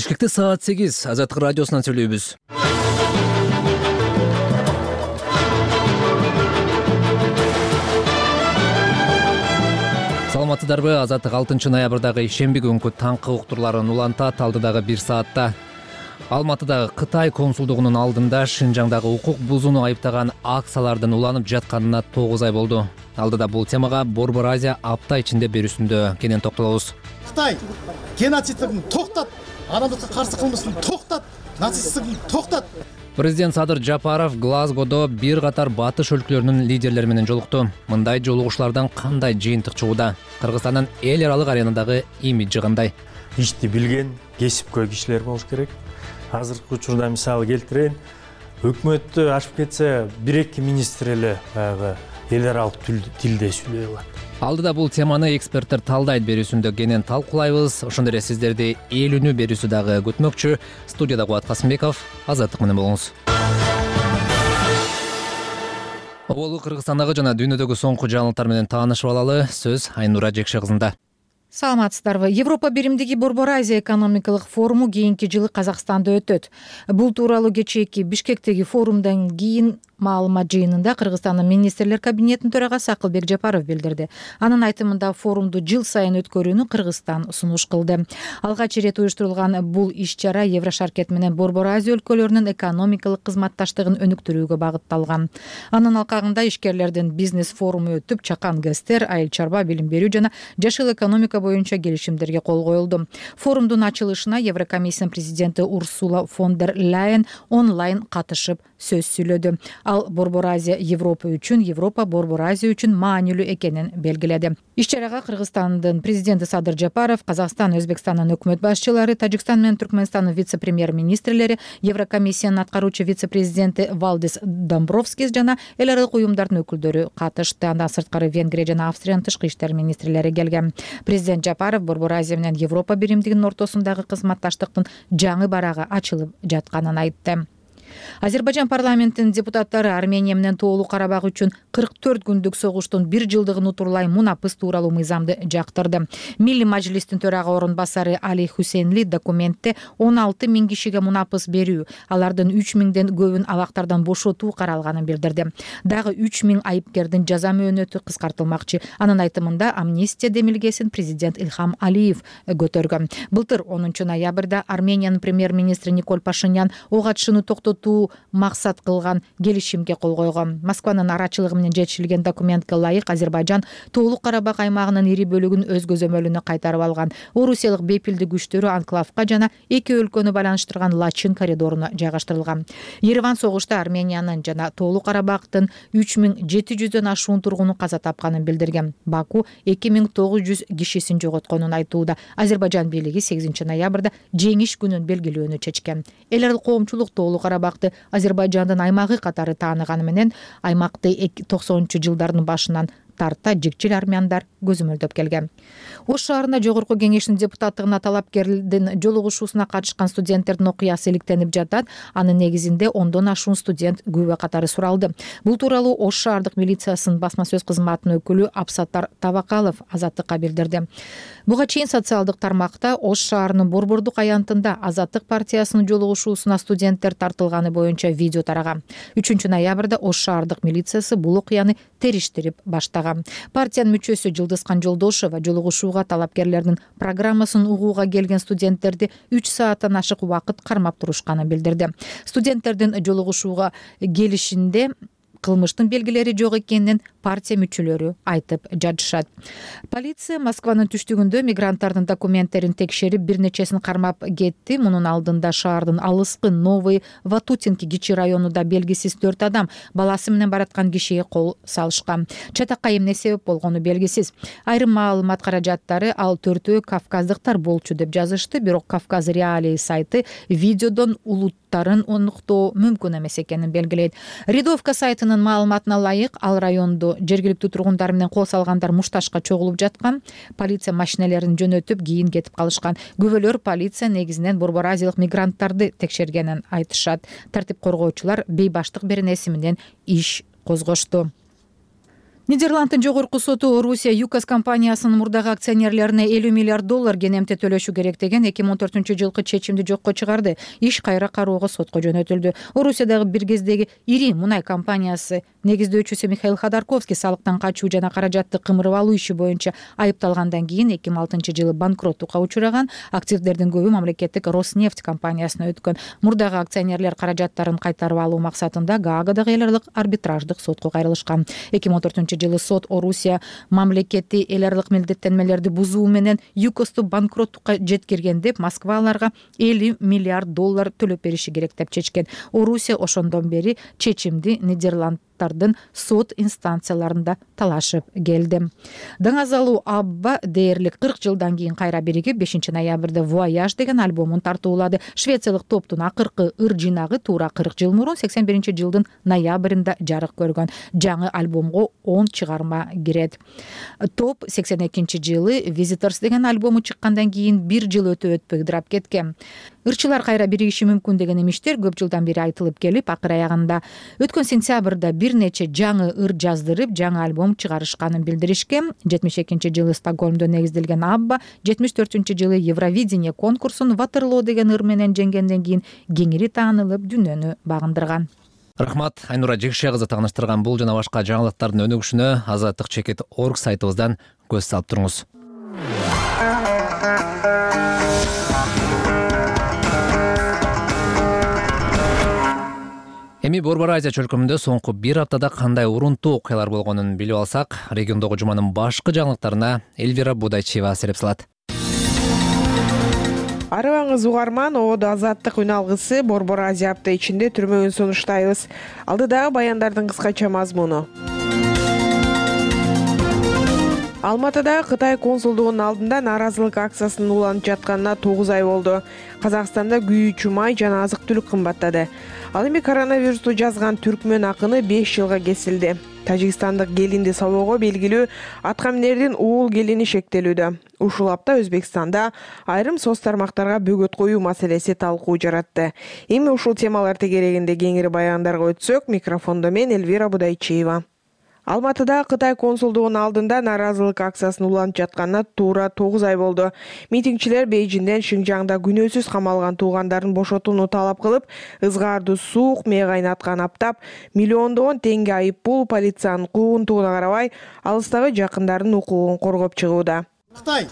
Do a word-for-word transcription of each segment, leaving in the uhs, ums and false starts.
Бишкекте саат сегиз Азаттык радиосунан сүйлөйбүз. Саламатсыздарбы? Азаттык алтынчы ноябрдагы ишемби күнкү таңкы уктурларын улантат. Алдыдагы бир саатта Алматыдагы Кытай консулдугунун алдында Шынжаңдагы укук бузууну айыптаган акциялардын уланып жатканына тогуз ай болду. Алдыда бул темага Борбор Азия апта ичинде берүүсүндө кенен токтолобуз. Кытай геноцидин токтот, адамдыкка каршы кылмысын токтот, нацисттигин токтот. Президент Садыр Жапаров Глазгодо бир катар батыш өлкөлөрүнүн лидерлери менен жолукту. Мындай жолугушуулардан кандай жыйынтык чыгууда? Кыргызстандын эл аралык аренадагы имиджи кандай? Ишти билген, кесипкөй кишилер болуш керек. Азыркы учурда мисалы келтирейин, өкмөттү ашып кетсе бир эки министр эле баягы эл аралык тилде сүйлөй алат. Алдыда бул теманы эксперттер талдайт берүүсүндө кенен талкуулайбыз. Ошондой эле сиздерди эл үнү берүүсү дагы күтмөкчү. Студияда Кубат Касымбеков, Азаттык менен болуңуз. Оболу Кыргызстандагы жана дүйнөдөгү соңку жаңылыктар менен таанышып алалы. Сөз Айнура Жекше кызында. Саламатсыздарбы? Европа биримдиги Борбор Азия экономикалык форуму кийинки жылы Казакстанда өтөт. Бул тууралуу кечээки Бишкектеги форумдан кийин маалымат жыйынында Кыргызстандын министрлер кабинетинин төрагасы Акылбек Жапаров билдирди. Анын айтымында форумду жыл сайын өткөрүүнү Кыргызстан сунуш кылды. Алгач ирет уюштурулган бул иш-чара Еврошаркет менен Борбор Азия өлкөлөрүнүн экономикалык кызматташтыгын өнүктүрүүгө багытталган. Анын алкагында ишкерлердин бизнес форуму өтүп, чакан гэстер, айыл чарба, билим берүү жана жашыл экономика боюнча келишимдерге кол коюлду. Форумдун ачылышына Еврокомиссиянын президенти Урсула фон дер Ляйен онлайн катышып сөз сүйлөдү. Ал Борбор Азия Европа үчүн, Европа Борбор Азия үчүн маанилүү экенин белгиледи. Иш-чарага Кыргызстандын президенти Садыр Жапаров, Казакстан, Өзбекстандын өкмөт башчылары, Тажикстан менен Түркмөнстандын вице-премьер-министрлери, Еврокомиссиянын аткаруучу вице-президенти Валдис Домбровскис жана эл аралык уюмдардын өкүлдөрү катышты. Андан сырткары Венгрия жана Австриянын тышкы иштер министрлери келген. Президент Жапаров Борбор Азия менен Европа биримдигинин ортосундагы кызматташтыктын жаңы барагы ачылып жатканын айтты. Азербайжан парламентинин депутаттары Армения менен Тоолуу Карабак үчүн кырк төрт күндүк согуштун бир жылдыгын утурлай мунапыс тууралуу мыйзамды жактырды. Милли мажлистин төрага орун басары Али Хусейнли документте он алты миң кишиге мунапыс берүү, алардын үч миңден көбүн абактардан бошотуу каралганын билдирди. Дагы үч миң айыпкердин жаза мөөнөтү кыскартылмакчы. Анын айтымында амнистия демилгесин президент Илхам Алиев көтөргөн. Былтыр онунчу ноябрда Армениянын премьер-министри Николь Пашинян ок атышууну токтотуу максат кылган келишимге кол койгон. Москванын арачылыгы менен жетишилген документке ылайык Азербайжан Тоолуу Карабак аймагынын ири бөлүгүн өз көзөмөлүнө кайтарып алган. Орусиялык бепилди күчтөрү анклавка жана эки өлкөнү байланыштырган Лачин коридоруна жайгаштырылган. Ереван согушта Армениянын жана Тоолуу Карабактын үч миң жети жүздөн ашуун тургуну каза тапканын билдирген. Баку эки миң тогуз жүз кишисин жоготконун айтууда. Азербайжан бийлиги сегизинчи ноябрда жеңиш күнүн белгилөөнү чечкен. Эл аралык коомчулук Тоолуу Карабак Азербайжандын аймагы катары тааныганы менен аймакты токсонунчу жылдардын башынан тарта жикчил армяндар көзөмөлдөп келген. Ош шаарында жогорку кеңештин депутаттыгына талапкердин жолугушуусуна катышкан студенттердин окуясы иликтенип жатат. Анын негизинде ондон ашуун студент күбө катары суралды. Бул тууралуу Ош шаардык милициясынын басма сөз кызматынын өкүлү Абсаттар Табакалов Азаттыкка билдирди. Буга чейин социалдык тармакта Ош шаарынын Борбордук аянтында Азаттык партиясынын жолугушуусуна студенттер тартылганы боюнча видео тараган. үчүнчү ноябрда Ош шаардык милициясы бул окуяны териштирип баштаган. Партиянын мүчөсү Жылдызкан Жолдошева жолугушууга талапкерлердин программасын угууга келген студенттерди үч сааттан ашык убакыт кармап турушканын билдирди. Студенттердин жолугушууга келишинде кылмыштын белгилери жок экенин партия мүчөлөрү айтып жатышат. Полиция Москванын түштүгүндө мигранттардын документтерин текшерип бир нечесин кармап кетти. Мунун алдында шаардын алыскы Новый Ватутинки кичи районунда белгисиз төрт адам баласы менен бараткан кишиге кол салышкан. Чатакка эмне себеп болгону белгисиз. Айрым маалымат каражаттары ал төртөө кавказдыктар болчу деп жазышты, бирок Кавказ Реалии сайты видеодон улуттарын оныктоо мүмкүн эмес экенин белгилейт. Рядовка сайтынын маалыматына ылайык, ал райондо жергиликтүү тургундар менен кол салгандар мушташка чогулуп жаткан. Полиция машиналерин жөнөтүп кийин кетип калышкан. Күбөлөр полиция негизинен Борбор Азиялык мигранттарды текшергенин айтышат. Тартип коргоочулар бейбаштык беренеси менен иш козгошту. Нидерланддын жогорку соту Орусия ЮКОС компаниясынын мурдагы акционерлерине элүү миллиард доллар кенемте төлөшү керек деген эки миң он төртүнчү жылкы чечимди жокко чыгарды. Иш кайра кароого сотко жөнөтүлдү. Орусиядагы бир кездеги ири мунай компаниясы негиздөөчүсү Михаил Ходорковский салыктан качуу жана каражатты кымырып алуу иши боюнча айыпталгандан кийин эки миң алтынчы жылы банкроттукка учураган. Активдердин көбү мамлекеттик Роснефть компаниясына өткөн. Мурдагы акционерлер каражаттарын кайтарып алуу максатында Гаагадагы эл аралык арбитраждык сотко кайрылышкан. эки миң он төртүнчү жылы сот Орусия мамлекети эл аралык милдеттенмелерди бузуу менен ЮКОСту банкроттукка жеткирген деп Москва аларга элүү миллиард доллар төлөп бериши керек деп чечкен. Орусия ошондон бери чечимди Нидерланддын сот инстанцияларында талашып келди. Даңазалуу Абба дээрлик кырк жылдан кийин кайра биригип бешинчи ноябрда Voyage деген альбомун тартуулады. Швециялык топтун акыркы ыр жинагы туура кырк жыл мурун сексен биринчи жылдын ноябрында жарык көргөн. Жаңы альбомго он чыгарма кирет. Топ сексен экинчи жылы Visitors деген альбому чыккандан кийин бир жыл өтө өтпөй ыдырап кеткен. Ырчылар кайра биригиши мүмкүн деген имиштер көп жылдан бери айтылып келип, акыр аягында өткөн сентябрда бир нече жаңы ыр жаздырып, жаңы альбом чыгарышканын билдиришкен. жетимиш экинчи жылы Стокгольмдо негизделген Абба жетимиш төртүнчү жылы Евровидение конкурсун Waterloo деген ыр менен жеңгенден кийин кеңири таанылып, дүйнөнү багындырган. Рахмат, Айнура Жекше кызы тааныштырган бул жана башка жаңылыктардын өнүгүшүнө азаттык чекит точка орг сайтыбыздан көз салып туруңуз. Эми Борбор Азия чөлкөмүндө соңку бир аптада кандай урунтуу окуялар болгонун билип алсак, региондогу жуманын башкы жаңылыктарына Эльвира Будайчева сереп салат. Арыбаңыз угарман, Оодо Азаттык үн алгысы Борбор Азия апта ичинде түрмөгүн сунуштайбыз. Алдыдагы баяндардын кыскача мазмуну. Алматыда Кытай консулдугунун алдында нааразылык акциясынын уланып жатканына тогуз ай болду. Казакстанда күйүүчү май жана азык-түлүк кымбаттады. Ал эми коронавирусту жазган түркмөн акыны беш жылга кесилди. Тажикстандык келинди собоого белгилүү атка минердин уул келини шектелүүдө. Ушул апта Өзбекстанда айрым соц тармактарга бөгөт коюу маселеси талкуу жаратты. Эми ушул темалар тегерегинде кеңири баяндарга өтсөк, микрофондо мен Эльвира Будайчева. Алматыда Кытай консулдугунун алдында нааразылык акциясынын уланып жатканына туура тогуз ай болду. Митингчилер Бейжиңден Шинжаңда күнөөсүз камалган туугандарын бошотууну талап кылып, ызгаардуу суук мээ кайнаткан аптап, миллиондогон теңге айып пул полициянын куугунтугуна карабай, алыстагы жакындарынын укугун коргоп чыгууда. Кытай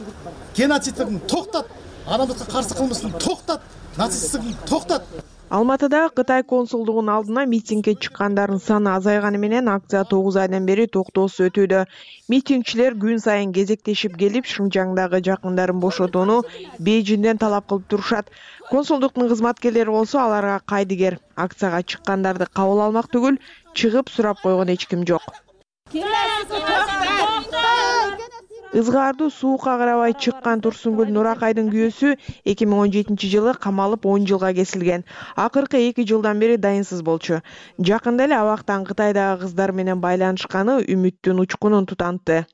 геноцидин токтот, адамдыкка каршы кылмысын токтот, нацисттигин токтот. Алматыда Кытай консулдугунун алдына митингге чыккандардын саны азайганы менен акция тогуз айдан бери токтоосуз өтүүдө. Митингчилер күн сайын кезектешип келип, Шинжаңдагы жакындарын бошотууну Бейжиңден талап кылып турушат. Консулдуктун кызматкерлери болсо аларга кайдыгер. Акцияга чыккандарды кабыл алмак түгүл, чыгып сурап койгон эч ким жок. Ызгаардуу суукка карабай чыккан Турсунгүл Нуракайдын күйөөсү эки миң он жетинчи жылы камалып он жылга кесилген. Акыркы эки жылдан бери дайынсыз болчу. Жакында эле абактан Кытайдагы кыздар менен байланышканы үмүттүн учкунун тутантты.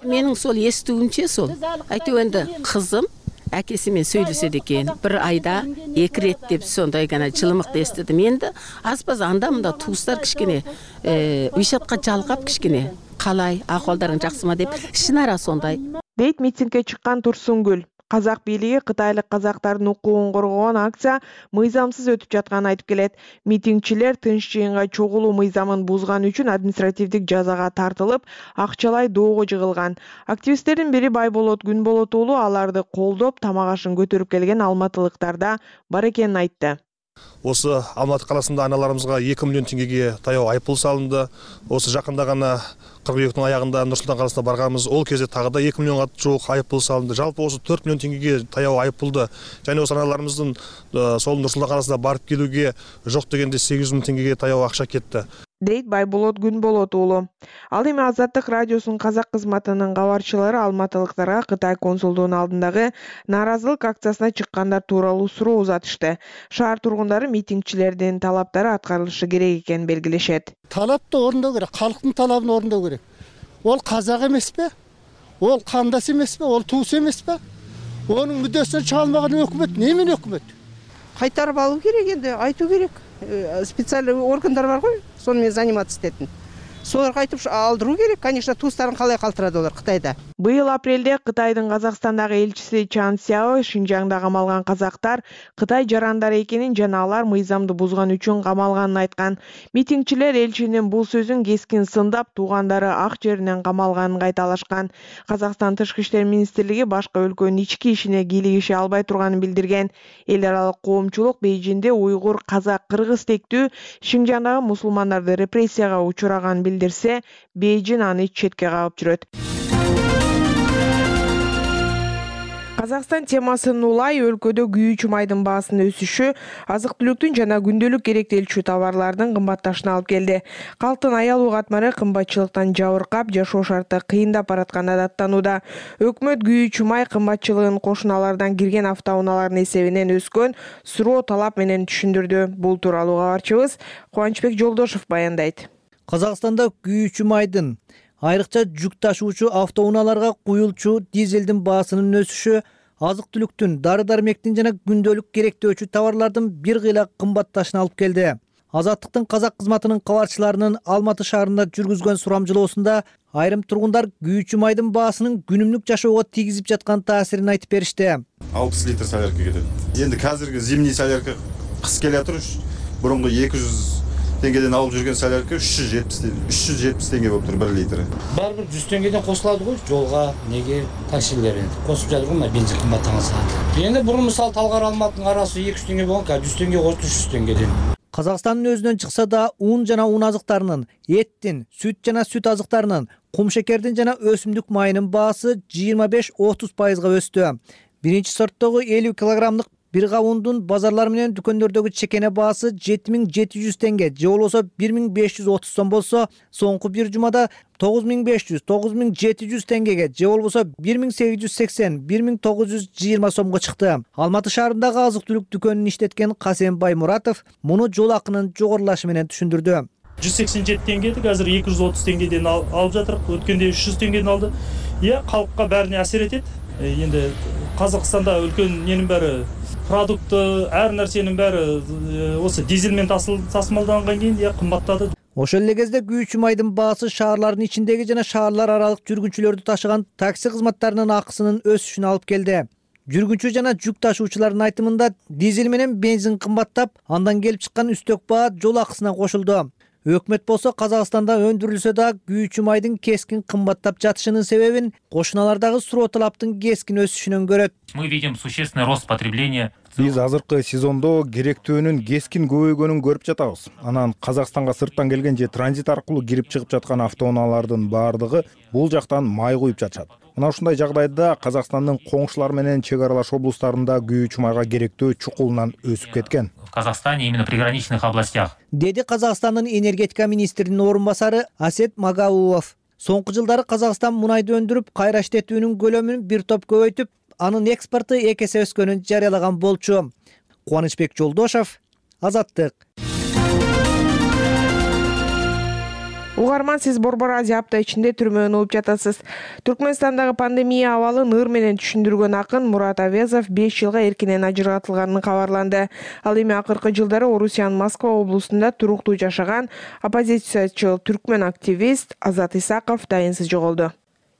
Менин сол эстүүмчө сол айтыбенде кызым акеси менен сүйлөшөт экен. Бир айда эки рет деп сондай гана жылымыкты эстедим. Энди азбаз анда мында туустар кичкене вишатка жалгап кичкене калай акыбалдарың жакшымы деп шынара сондай. Дейт митингге чыккан Турсунгүл. Казак бийлиги кытайлык казактардын укугун коргогон акция мыйзамсыз өтүп жатканын айтып келет. Митингчилер тынч жыйынга чогулуу мыйзамын бузган үчүн административдик жазага тартылып, акчалай доого жыгылган. Активисттердин бири Байболот Күнболот уулу аларды колдоп, тамак ашын көтөрүп келген алматылыктарда бар экенин айтты. Осы Алматы қаласында аналарымызға эки миллион теңгеге таяу айыппұл салынды. Осы жақында ғана кыргыйектин аягында Нур-Султан қаласына барганбыз. Ол кезде тағы да эки миллионга жуық айыппұл салынды. Жалпы осы төрт миллион теңгеге таяу айыппұлды және осы аналарымыздың сол Нур-Султан қаласына барып келуге жоқ дегенде сегиз жүз миң теңгеге таяу ақша кетті. Дейт Байболот Күнболот уулу. Ал эми Азаттык радиосунун казак кызматынын кабарчылары алматылыктарга Кытай консулдугунун алдындагы нааразылык акциясына чыккандар тууралуу суроо узатышты. Шаар тургундары митингчилердин талаптары аткарылышы керек экенин белгилешет. Талапты орундоо керек, калктын талабын орундоо керек. Ол казак эмеспи? Ол кандас эмеспи? Ол туус эмеспи? Онун мүддөсүнө чалмаган өкмөт немен өкмөт? Кайтарып алуу керек, энди айтуу керек. Специальный органдар бар ғой, сонымен заниматься этетін. солар кайтып алдыруу керек. Конечно, туустарын калай калтырады олар Кытайда. Быйыл апрелде Кытайдын Казакстандагы элчиси Чан Сяо Шинжаңда камалган казактар Кытай жарандары экенин жана алар мыйзамды бузган үчүн камалганын айткан. Митингчилер элчинин бул сөзүн кескин сындап, туугандары ак жеринен камалганын кайталашкан. Казакстан Тышкы иштер министрлиги башка өлкөнүн ички ишине кийлигише албай турганын билдирген. Эл аралык коомчулук Бейжинде уйгур, казак, кыргыз тектүү Шинжаңдагы мусулмандарды репрессияга учураганын билдирсе, Бейжин аны четке кагып жүрөт. Казакстан темасын улай өлкөдө күйүүчү майдын баасынын өсүшү азык-түлүктүн жана күндөлүк керектелчү товарлардын кымбатташына алып келди. Калктын аялуу катмары кымбатчылыктан жабыркап, жашоо шарты кыйындап баратканы даттанууда. Өкмөт күйүүчү май кымбатчылыгын кошуналардан кирген автоунаалардын эсебинен өскөн суроо талап менен түшүндүрдү. Бул тууралуу кабарчыбыз Кубанычбек Жолдошов баяндайт. Казакстанда күйүүчү майдын, айрыкча жүк ташуучу автоунааларга куюлчу дизелдин баасынын өсүшү азык-түлүктүн, дары-дармектин жана күндөлүк керектөөчү товарлардын бир кыйла кымбатташына алып келди. Азаттыктын казак кызматынын кабарчыларынын Алматы шаарында жүргүзгөн сурамжылоосунда айрым тургундар күйүүчү майдын баасынын күнүмдүк жашоого тийгизип жаткан таасирин айтып беришти. алпыс литр солярка кетет. Энди казыркы зимний солярка кыш келатыр, бурунку эки жүз теңгеден алып жүрген солярка үч жүз жетимиш теңге болуп тур бир литри. Баары бир жүз теңгеден кошулат го жолга, неге таксилер энди. Косуп жатыр го, бензин кымбаттаган. Энди бурун мисалы Талгар Алматынын арасы эки жүз теңге болгон, жүз теңге кошту, үч жүз теңгеден. Казакстандын өзүнөн чыкса да ун жана ун азыктарынын, эттин, сүт жана сүт азыктарынын, кумшекердин жана өсүмдүк майынын баасы жыйырма беш отуз пайызга өстү. Биринчи сорттогу элүү килограммдык бир кабундун базарлар менен дүкөндөрдөгү чекене баасы жети миң жети жүз теңге, же болбосо бир миң беш жүз отуз сом болсо, соңку бир жумада тогуз миң беш жүз, тогуз миң жети жүз теңгеге, же болбосо бир миң сегиз жүз сексен, бир миң тогуз жүз жыйырма сомго чыкты. Алматы шаарындагы азык-түлүк дүкөнүн иштеткен Касем Баймуратов муну жол акынын жогорулашы менен түшүндүрдү. жүз сексен жети теңгеди, азыр эки жүз отуз теңгеден алып жатырык. Өткөндө үч жүз теңгеден алды. Иә, калкка бәріне әсер етет. Енді Қазақстанда өлкөнүн ненин бәрі продукты, әр нәрсенин бәрі осы дизелмен тасымалданған кейін я кымбаттады. Ошол эле кезде күйүүчү майдын баасы шаарлардын ичиндеги жана шаарлар аралык жүргүнчүлөрдү ташыган такси кызматтарынын акысынын өсүшүнө алып келди. Жүргүнчү жана жүк ташуучулардын айтымында дизель менен бензин кымбаттап, андан келип чыккан үстөк баа жол акысына кошулду. Өкмөт болсо Казакстанда өндүрүлсө да күйүүчү майдын кескин кымбаттап жатышынын себебин кошуналардагы суроо талаптын кескин өсүшүнөн көрөт. Мы видим существенный рост потребления. Биз азыркы сезондо керектөөнүн кескин көбөйгөнүн көрүп жатабыз. Анан Казакстанга сырттан келген же транзит аркылуу кирип чыгып жаткан автоунаалардын баардыгы бул жактан май куюп жатышат. Мына ушундай жагдайда Казакстандын коңшулар менен чек аралаш облустарында күйүүчү майга керектөө чукулунан өсүп кеткен. В Казахстане именно в приграничных областях. Деди Казакстандын энергетика министринин орун басары Асет Магаулов. Соңку жылдары Казакстан мунайды өндүрүп, кайра иштетүүнүн көлөмүн бир топ көбөйтүп, анын экспорту эки эсе өскөнүн жарыялаган болчу. Кубанычбек Жолдошов, Азаттык. Угарман, сиз Борбор Азия апта ичинде түрмөөнү угуп жатасыз. Түркмөнстандагы пандемия абалын ыр менен түшүндүргөн акын Мурат Авезов беш жылга эркинен ажыратылганын кабарланды. Ал эми акыркы жылдары Орусиянын Москва облусунда туруктуу жашаган оппозициячыл түркмөн активист Азат Исаков дайынсыз жоголду.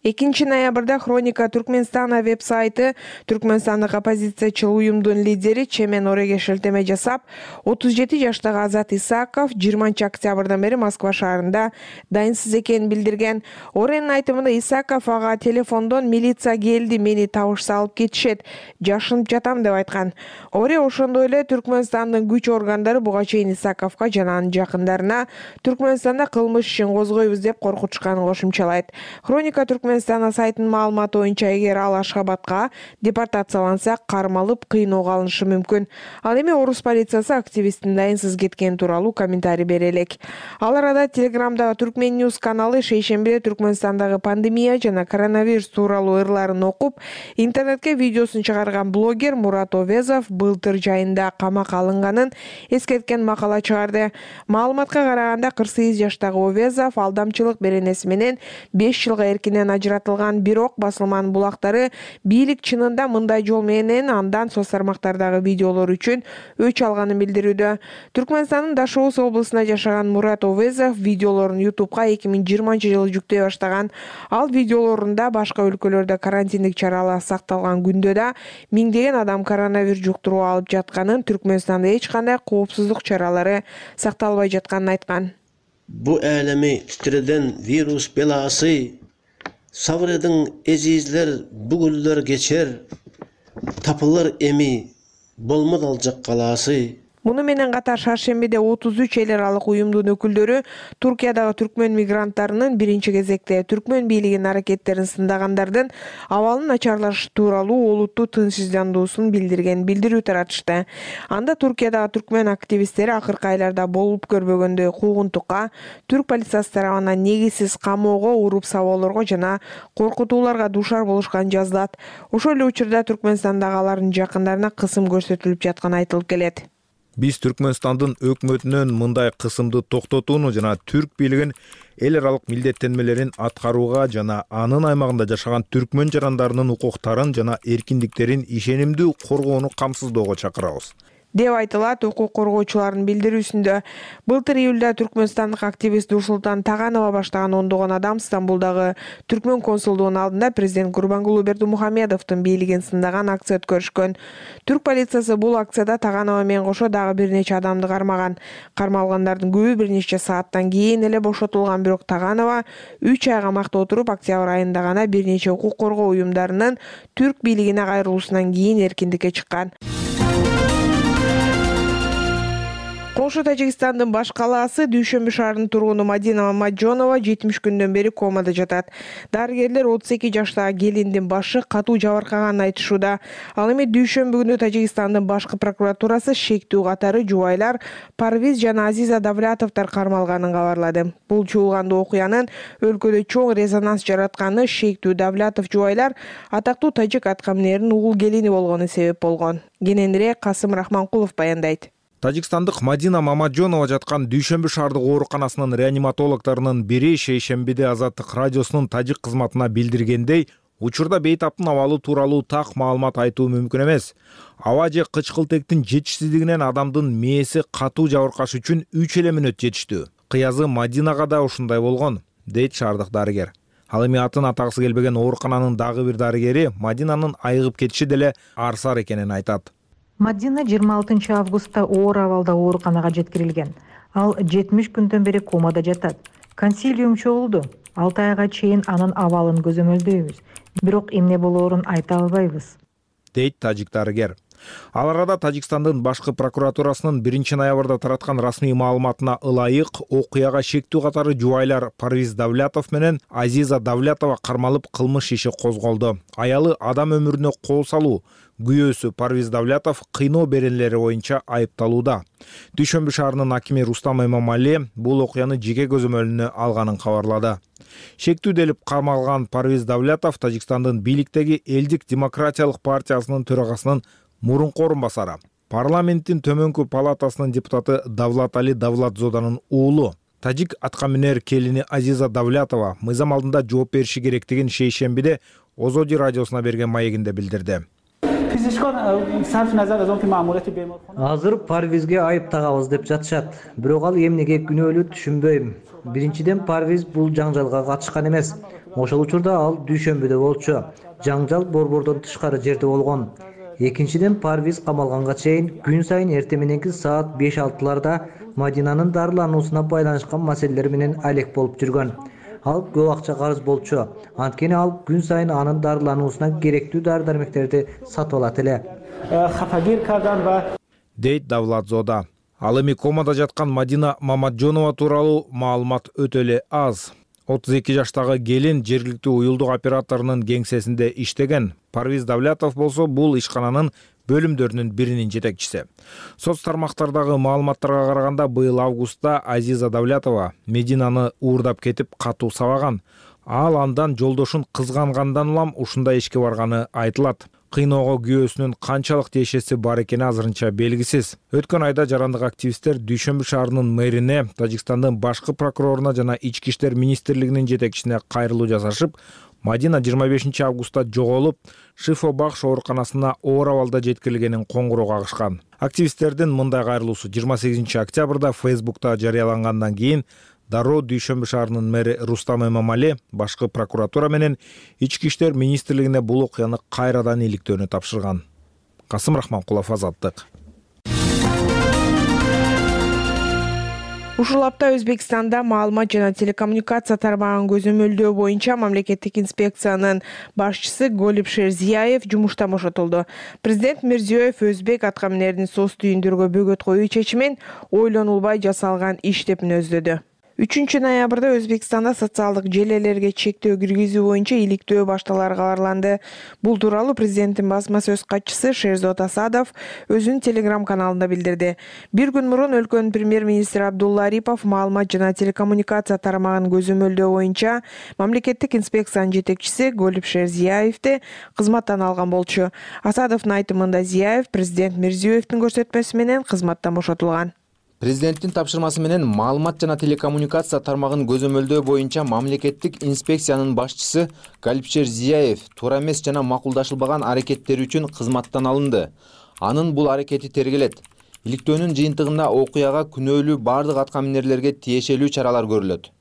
экинчи ноябрда Хроника Түркмөнстана веб-сайты түркмөнстандык оппозициячыл уюмдун лидери Чемен Ореге шилтеме жасап, отуз жети жаштагы Азат Исаков жыйырманчы октябрдан бери Москва шаарында дайынсыз экенин билдирген. Оренин айтымында Исаков ага телефондон милиция келди, мени табышса алып кетишет, жашынып жатам деп айткан. Оре ошондой эле Түркмөнстандын күч органдары буга чейин Исаковго жана анын жакындарына Түркмөнстанда кылмыш ишин козгойбуз деп коркутушканын кошумчалайт. Хроника Түркмөнстана сайтынын маалыматы боюнча, эгер ал Ашхабадка депортацияланса, кармалып, кыйноого алынышы мүмкүн. Ал эми орус полициясы активисттин дайынсыз кеткени тууралуу комментарий бере элек. Ал арада Телеграмдагы Түркмен Ньюс каналы шейшембиде Түркмөнстандагы пандемия жана коронавирус тууралуу ырларын окуп, интернетке видеосун чыгарган блогер Мурат Овезов былтыр жайында камакка алынганын эскерткен макала чыгарды. Маалыматка караганда кырк сегиз жаштагы Овезов алдамчылык беренеси менен беш жылга эркинен ажыратылган, бирок басылманын булактары бийлик чынында мындай жол менен андан соц тармактардагы видеолор үчүн өч алганын билдирүүдө. Түркмөнстандын Дашоус облусунда жашаган Мурат Овезов видеолорун ютубка эки миң жыйырманчы жылы жүктөй баштаган. Ал видеолорунда башка өлкөлөрдө карантиндик чаралар сакталган күндө да миңдеген адам коронавирус жуктуруу алып жатканын, Түркмөнстанда эч кандай коопсуздук чаралары сакталбай жатканын айткан. Bu elemi titreden virüs belası, sabredin ezizler, bugüller geçer, tapılır emi, bolmad alacak kalası. Муну менен катар шаршембиде отуз үч эл аралык уюмдун өкүлдөрү Туркиядагы түркмөн мигранттарынын биринчи кезекте түркмөн бийлигинин аракеттерин сындагандардын абалын начарлашы тууралуу олуттуу тынчсыздандуусун билдирген билдирүү таратышты. Анда Туркиядагы түркмөн активисттери акыркы айларда болуп көрбөгөндөй куугунтукка, түрк полициясы тарабынан негизсиз камоого, уруп сабоолорго жана коркутууларга дуушар болушканын жазылат. Ошол эле учурда Түркмөнстандагы алардын жакындарына кысым көрсөтүлүп жатканы айтылып келет. Биз Түркмөнстандын өкмөтүнөн мындай кысымды токтотууну жана түрк бийлигин эл аралык милдеттенмелерин аткарууга жана анын аймагында жашаган түркмөн жарандарынын укуктарын жана эркиндиктерин ишенимдүү коргоону камсыздоого чакырабыз деп айтылат укук коргоочулардын билдирүүсүндө. Былтыр июлда түркмөнстандык активист Нурсултан Таганова баштаган ондогон адам Стамбулдагы түркмөн консулдугунун алдында президент Гурбангулы Бердимухамедовдун бийлигин сындаган акция өткөрүшкөн. Түрк полициясы бул акцияда Таганова менен кошо дагы бир нече адамды кармаган. Кармалгандардын көбү бир нече сааттан кийин эле бошотулган, бирок Таганова үч ай камакта отуруп, октябрь айында гана бир нече укук коргоо уюмдарынын түрк бийлигине кайрылуусунан кийин эркиндикке чыккан. Коңшу Тажикстандын баш калаасы Дүйшөмбү шаарынын тургуну Мадина Мамаджонова жетимиш күндөн бери комада жатат. Дарыгерлер отуз эки жаштагы келиндин башы катуу жабыркаганын айтышууда. Ал эми Дүйшөмбү күнү Тажикстандын башкы прокуратурасы шектүү катары жубайлар Парвиз жана Азиза Давлятовдор кармалганын кабарлады. Бул чуулгандуу окуянын өлкөдө чоң резонанс жаратканы шектүү Давлятов жубайлар атактуу тажик аткаминеринин угул келини болгону себеп болгон. Кененирээк Касым Рахманкулов баяндайт. Тажикстандык Мадина Мамаджонова жаткан Дүйшөмбү шаардык ооруканасынын реаниматологдорунун бири шейшембиде Азаттык радиосунун тажик кызматына билдиргендей, учурда бейтаптын абалы тууралуу так маалымат айтуу мүмкүн эмес. Аба же кычкылтектин жетишсиздигинен адамдын мээси катуу жабыркаш үчүн үч эле мүнөт жетиштүү. Кыязы Мадинага да ушундай болгон, дейт шаардык дарыгер. Ал эми атын атагысы келбеген оорукананын дагы бир дарыгери Мадинанын айыгып кетиши деле арсар экенин айтат. Мадина жыйырма алтынчы августта оор абалда ооруканага жеткирилген. Ал жетимиш күндөн бери комада жатат. Консилиум чогулду. алты айга чейин анын абалын көзөмөлдөйбүз. Бирок эмне болоорун айта албайбыз, дейт тажик дарыгер. Ал арада Тажикстандын башкы прокуратурасынын биринчи ноябрда тараткан расмий маалыматына ылайык окуяга шектүү катары жубайлар Парвиз Давлятов менен Азиза Давлятова кармалып кылмыш иши козголду. Аялы адам өмүрүнө кол салуу, күйөөсү Парвиз Давлятов кыйноо беренелери боюнча айыпталууда. Дүйшөмбү шаарынын акими Рустам Эмомали бул окуяны жеке көзөмөлүнө алганын кабарлады. Шектүү делип кармалган Парвиз Давлятов Тажикстандын бийликтеги Элдик демократиялык партиясынын төрагасынын мурунку орун басары. Парламенттин төмөнкү палатасынын депутаты Давлат Али Давлатзоданын уулу. Тажик аткаминер келини Азиза Давлятова мыйзам алдында жооп бериши керектигин шейшембиде Озоди радиосуна берген маегинде билдирди. Азыр Парвизге айып тагабыз деп жатышат. Бирок ал эмнеге күнөөлүү түшүнбөйм. Биринчиден Парвиз бул жаңжалга катышкан эмес. Ошол учурда ал Дүйшөмбүдө болчу. Жаңжал борбордон тышкары жерде болгон. Экинчиден Парвиз камалганга чейин күн сайын эртең мененки саат беш алтыларда Мадинанын дарылануусуна байланышкан маселелер менен алек болуп жүргөн. Ал көп акча карыз болчу. Анткени ал күн сайын анын дарылануусуна керектүү дары-дармектерди сатып алат эле, дейт Давлатзода. Ал эми комада жаткан Мадина Мамаджонова тууралуу маалымат өтө эле аз. отуз эки жаштагы келин жергиликтүү уюлдук операторунун кеңсесинде иштеген. Парвиз Давлятов болсо бул ишкананын бөлүмдөрүнүн биринин жетекчиси. Соц тармактардагы маалыматтарга караганда быйыл августта Азиза Давлятова Мединаны уурдап кетип катуу сабаган. Ал андан жолдошун кызгангандан улам ушундай ишке барганы айтылат. Кыйноого күйөөсүнүн канчалык тиешеси бар экени азырынча белгисиз. Өткөн айда жарандык активисттер Дүйшөмбү шаарынын мэрине, Тажикстандын башкы прокуроруна жана Ички иштер министрлигинин жетекчисине кайрылуу жасашып, Мадина жыйырма бешинчи августта жоголуп, Шифо бакш ооруканасына оор абалда жеткирилгенин коңгуроо кагышкан. Активисттердин мындай кайрылуусу жыйырма сегизинчи октябрда Фейсбукта жарыялангандан кийин дароо Дүйшөмбү шаарынын мэри Рустам Эмомали башкы прокуратура менен Ички иштер министрлигине бул окуяны кайрадан иликтөөнү тапшырган. Касым Рахманкулов, Азаттык. Ушул апта Өзбекстанда маалымат жана телекоммуникация тармагын көзөмөлдөө боюнча мамлекеттик инспекциянын башчысы Голип Шерзияев жумуштан бошотулду. Президент Мирзиёев өзбек аткаминердин соц түйүндөргө бөгөт коюу чечимин ойлонулбай жасалган иш деп мүнөздөдү. үчүнчү ноябрда Өзбекстанда социалдык желелерге чектөө киргизүү боюнча иликтөө башталары кабарланды. Бул тууралуу президенттин басма сөз катчысы Шерзот Асадов өзүнүн Телеграм каналында билдирди. Бир күн мурун өлкөнүн премьер-министри Абдулла Арипов маалымат жана телекоммуникация тармагын көзөмөлдөө боюнча мамлекеттик инспекциянын жетекчиси Голип Шерзияевди кызматтан алган болчу. Асадовдун айтымында Зияев президент Мирзиёевдин көрсөтмөсү менен кызматтан бошотулган. Президенттин тапшырмасы менен маалымат жана телекоммуникация тармагын көзөмөлдөө боюнча мамлекеттик инспекциянын башчысы Галипшер Зияев туура эмес жана макулдашылбаган аракеттери үчүн кызматтан алынды. Анын бул аракети тергелет. Иликтөөнүн жыйынтыгында окуяга күнөөлүү бардык аткаминерлерге тиешелүү чаралар көрүлөт,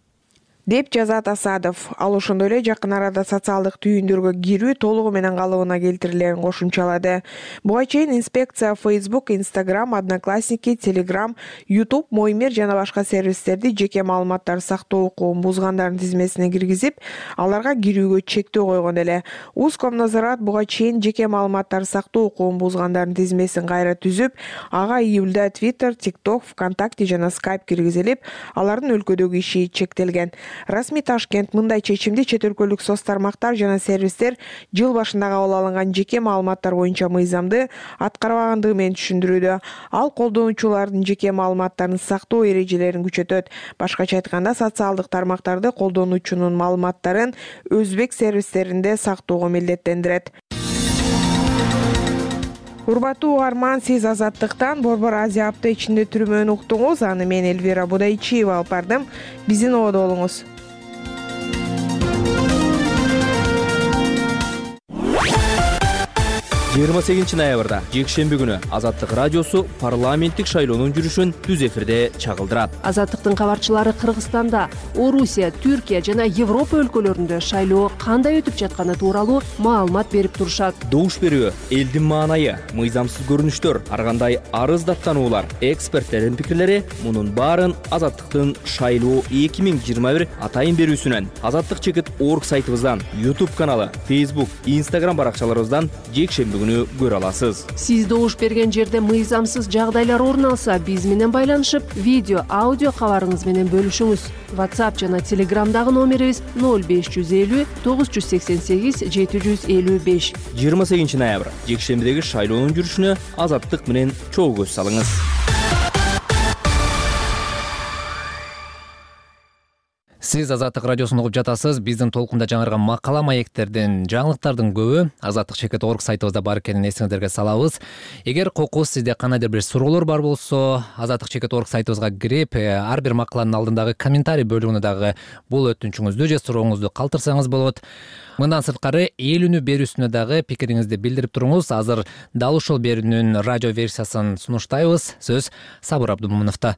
деп жазат Асадов. Ал ошондой эле жакын арада социалдык түйүндөргө кирүү толугу менен калыбына келтирилерин кошумчалады. Буга чейин инспекция Facebook, Instagram, Одноклассники, Telegram, YouTube, Моймер жана башка сервистерди жеке маалыматтар сактоо укугун бузгандардын тизмесине киргизип, аларга кирүүгө чектөө койгон эле. Узкомнадзорат буга чейин жеке маалыматтар сактоо укугун бузгандардын тизмесин кайра түзүп, ага июлда Twitter, TikTok, ВКонтакте жана Skype киргизилип, алардын өлкөдөгү иши чектелген. Расмий Ташкент мындай чечимди чет өлкөлүк соц тармактар жана сервистер жыл башында кабыл алынган жеке маалыматтар боюнча мыйзамды аткарбагандыгы менен түшүндүрүүдө. Ал колдонуучулардын жеке маалыматтарын сактоо эрежелерин күчөтөт. Башкача айтканда, социалдык тармактарды колдонуучунун маалыматтарын өзбек сервистеринде сактоого милдеттендирет. Урматтуу угарман, сиз Азаттыктан Борбор Азия апта ичинде түрмөнү уктуңуз. Аны мен Эльвира Будайчиева алып бардым. Биздин ободо болуңуз. жыйырма сегизинчи ноябрда жекшемби күнү Азаттык радиосу парламенттик шайлоонун жүрүшүн түз эфирде чагылдырат. Азаттыктын кабарчылары Кыргызстанда, Орусия, Түркия жана Европа өлкөлөрүндө шайлоо кандай өтүп жатканы тууралуу маалымат берип турушат. Добуш берүү, элдин маанайы, мыйзамсыз көрүнүштөр, ар кандай арыз даттануулар, эксперттердин пикирлери мунун баарын Азаттыктын шайлоо эки миң жыйырма бир атайын берүүсүнөн, Азаттык чекит орг сайтыбыздан, YouTube каналы, Facebook, Instagram баракчаларыбыздан жекшемби көрө аласыз. Сиз добуш берген жерде мыйзамсыз жагдайлар орун алса, биз менен байланышып, видео, аудио кабарыңыз менен бөлүшүңүз. WhatsApp жана Telegramдагы номерибиз ноль беш жүз элүү тогуз жүз сексен сегиз жети жүз элүү беш. жыйырма сегизинчи ноябрь жекшембидеги шайлоонун жүрүшүнө Азаттык менен чогуу көз салыңыз. Сиз Азаттык радиосун угуп жатасыз. Биздин толкунда жаңырган макала маектердин, жаңылыктардын көбү Азаттык чекит орг сайтыбызда бар экенин эсиңиздерге салабыз. Эгер кокус сизде кандайдыр бир суроолор бар болсо, Азаттык чекит орг сайтыбызга кирип, ар бир макаланын алдындагы комментарий бөлүгүнө дагы бул өтүнчүңүздү же сурооңузду калтырсаңыз болот. Мындан сырткары эл үнү берүүсүнө дагы пикириңизди билдирип туруңуз. Азыр дал ушул берүүнүн радио версиясын сунуштайбыз. Сөз Сабыр Абдумомуновдо.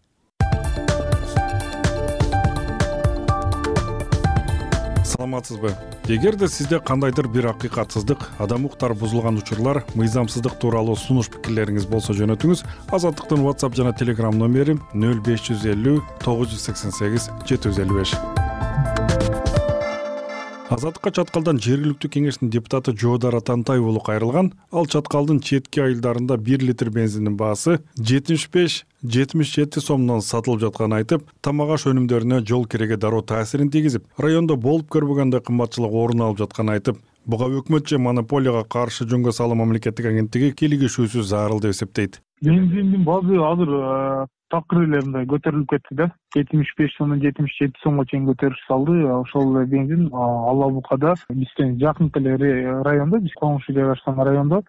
Саламатсызбы? Эгерде сизде кандайдыр бир акыйкатсыздык, адам укуктары бузулган учурлар, мыйзамсыздык тууралуу сунуш пикирлериңиз болсо жөнөтүңүз. Азаттыктын WhatsApp жана Telegram номери ноль беш жүз элүү тогуз жүз сексен сегиз жети жүз элүү беш. Азаттыкка Чаткалдан жергиликтүү кеңештин депутаты Жоодар Атантай уулу кайрылган. Ал Чаткалдын четки айылдарында бир литр бензиндин баасы жетимиш беш жетимиш жети сомдон сатылып жатканын айтып, тамак аш өнүмдөрүнө жол кереге дароо таасирин тийгизип, райондо болуп көрбөгөндөй кымбатчылык орун алып жатканын айтып, буга өкмөт же монополияга каршы жөнгө салуу мамлекеттик агенттиги кийлигишүүсү зарыл деп эсептейт. Бензиндин баасы азыр такыр эле мындай көтөрүлүп кетти да. жетимиш беш сомдон жетимиш жети сомго чейин көтөрүш салды. Ошол эле бензин Ала Букада бизден жакын эле райондо, биз коңшу жайгашкан райондо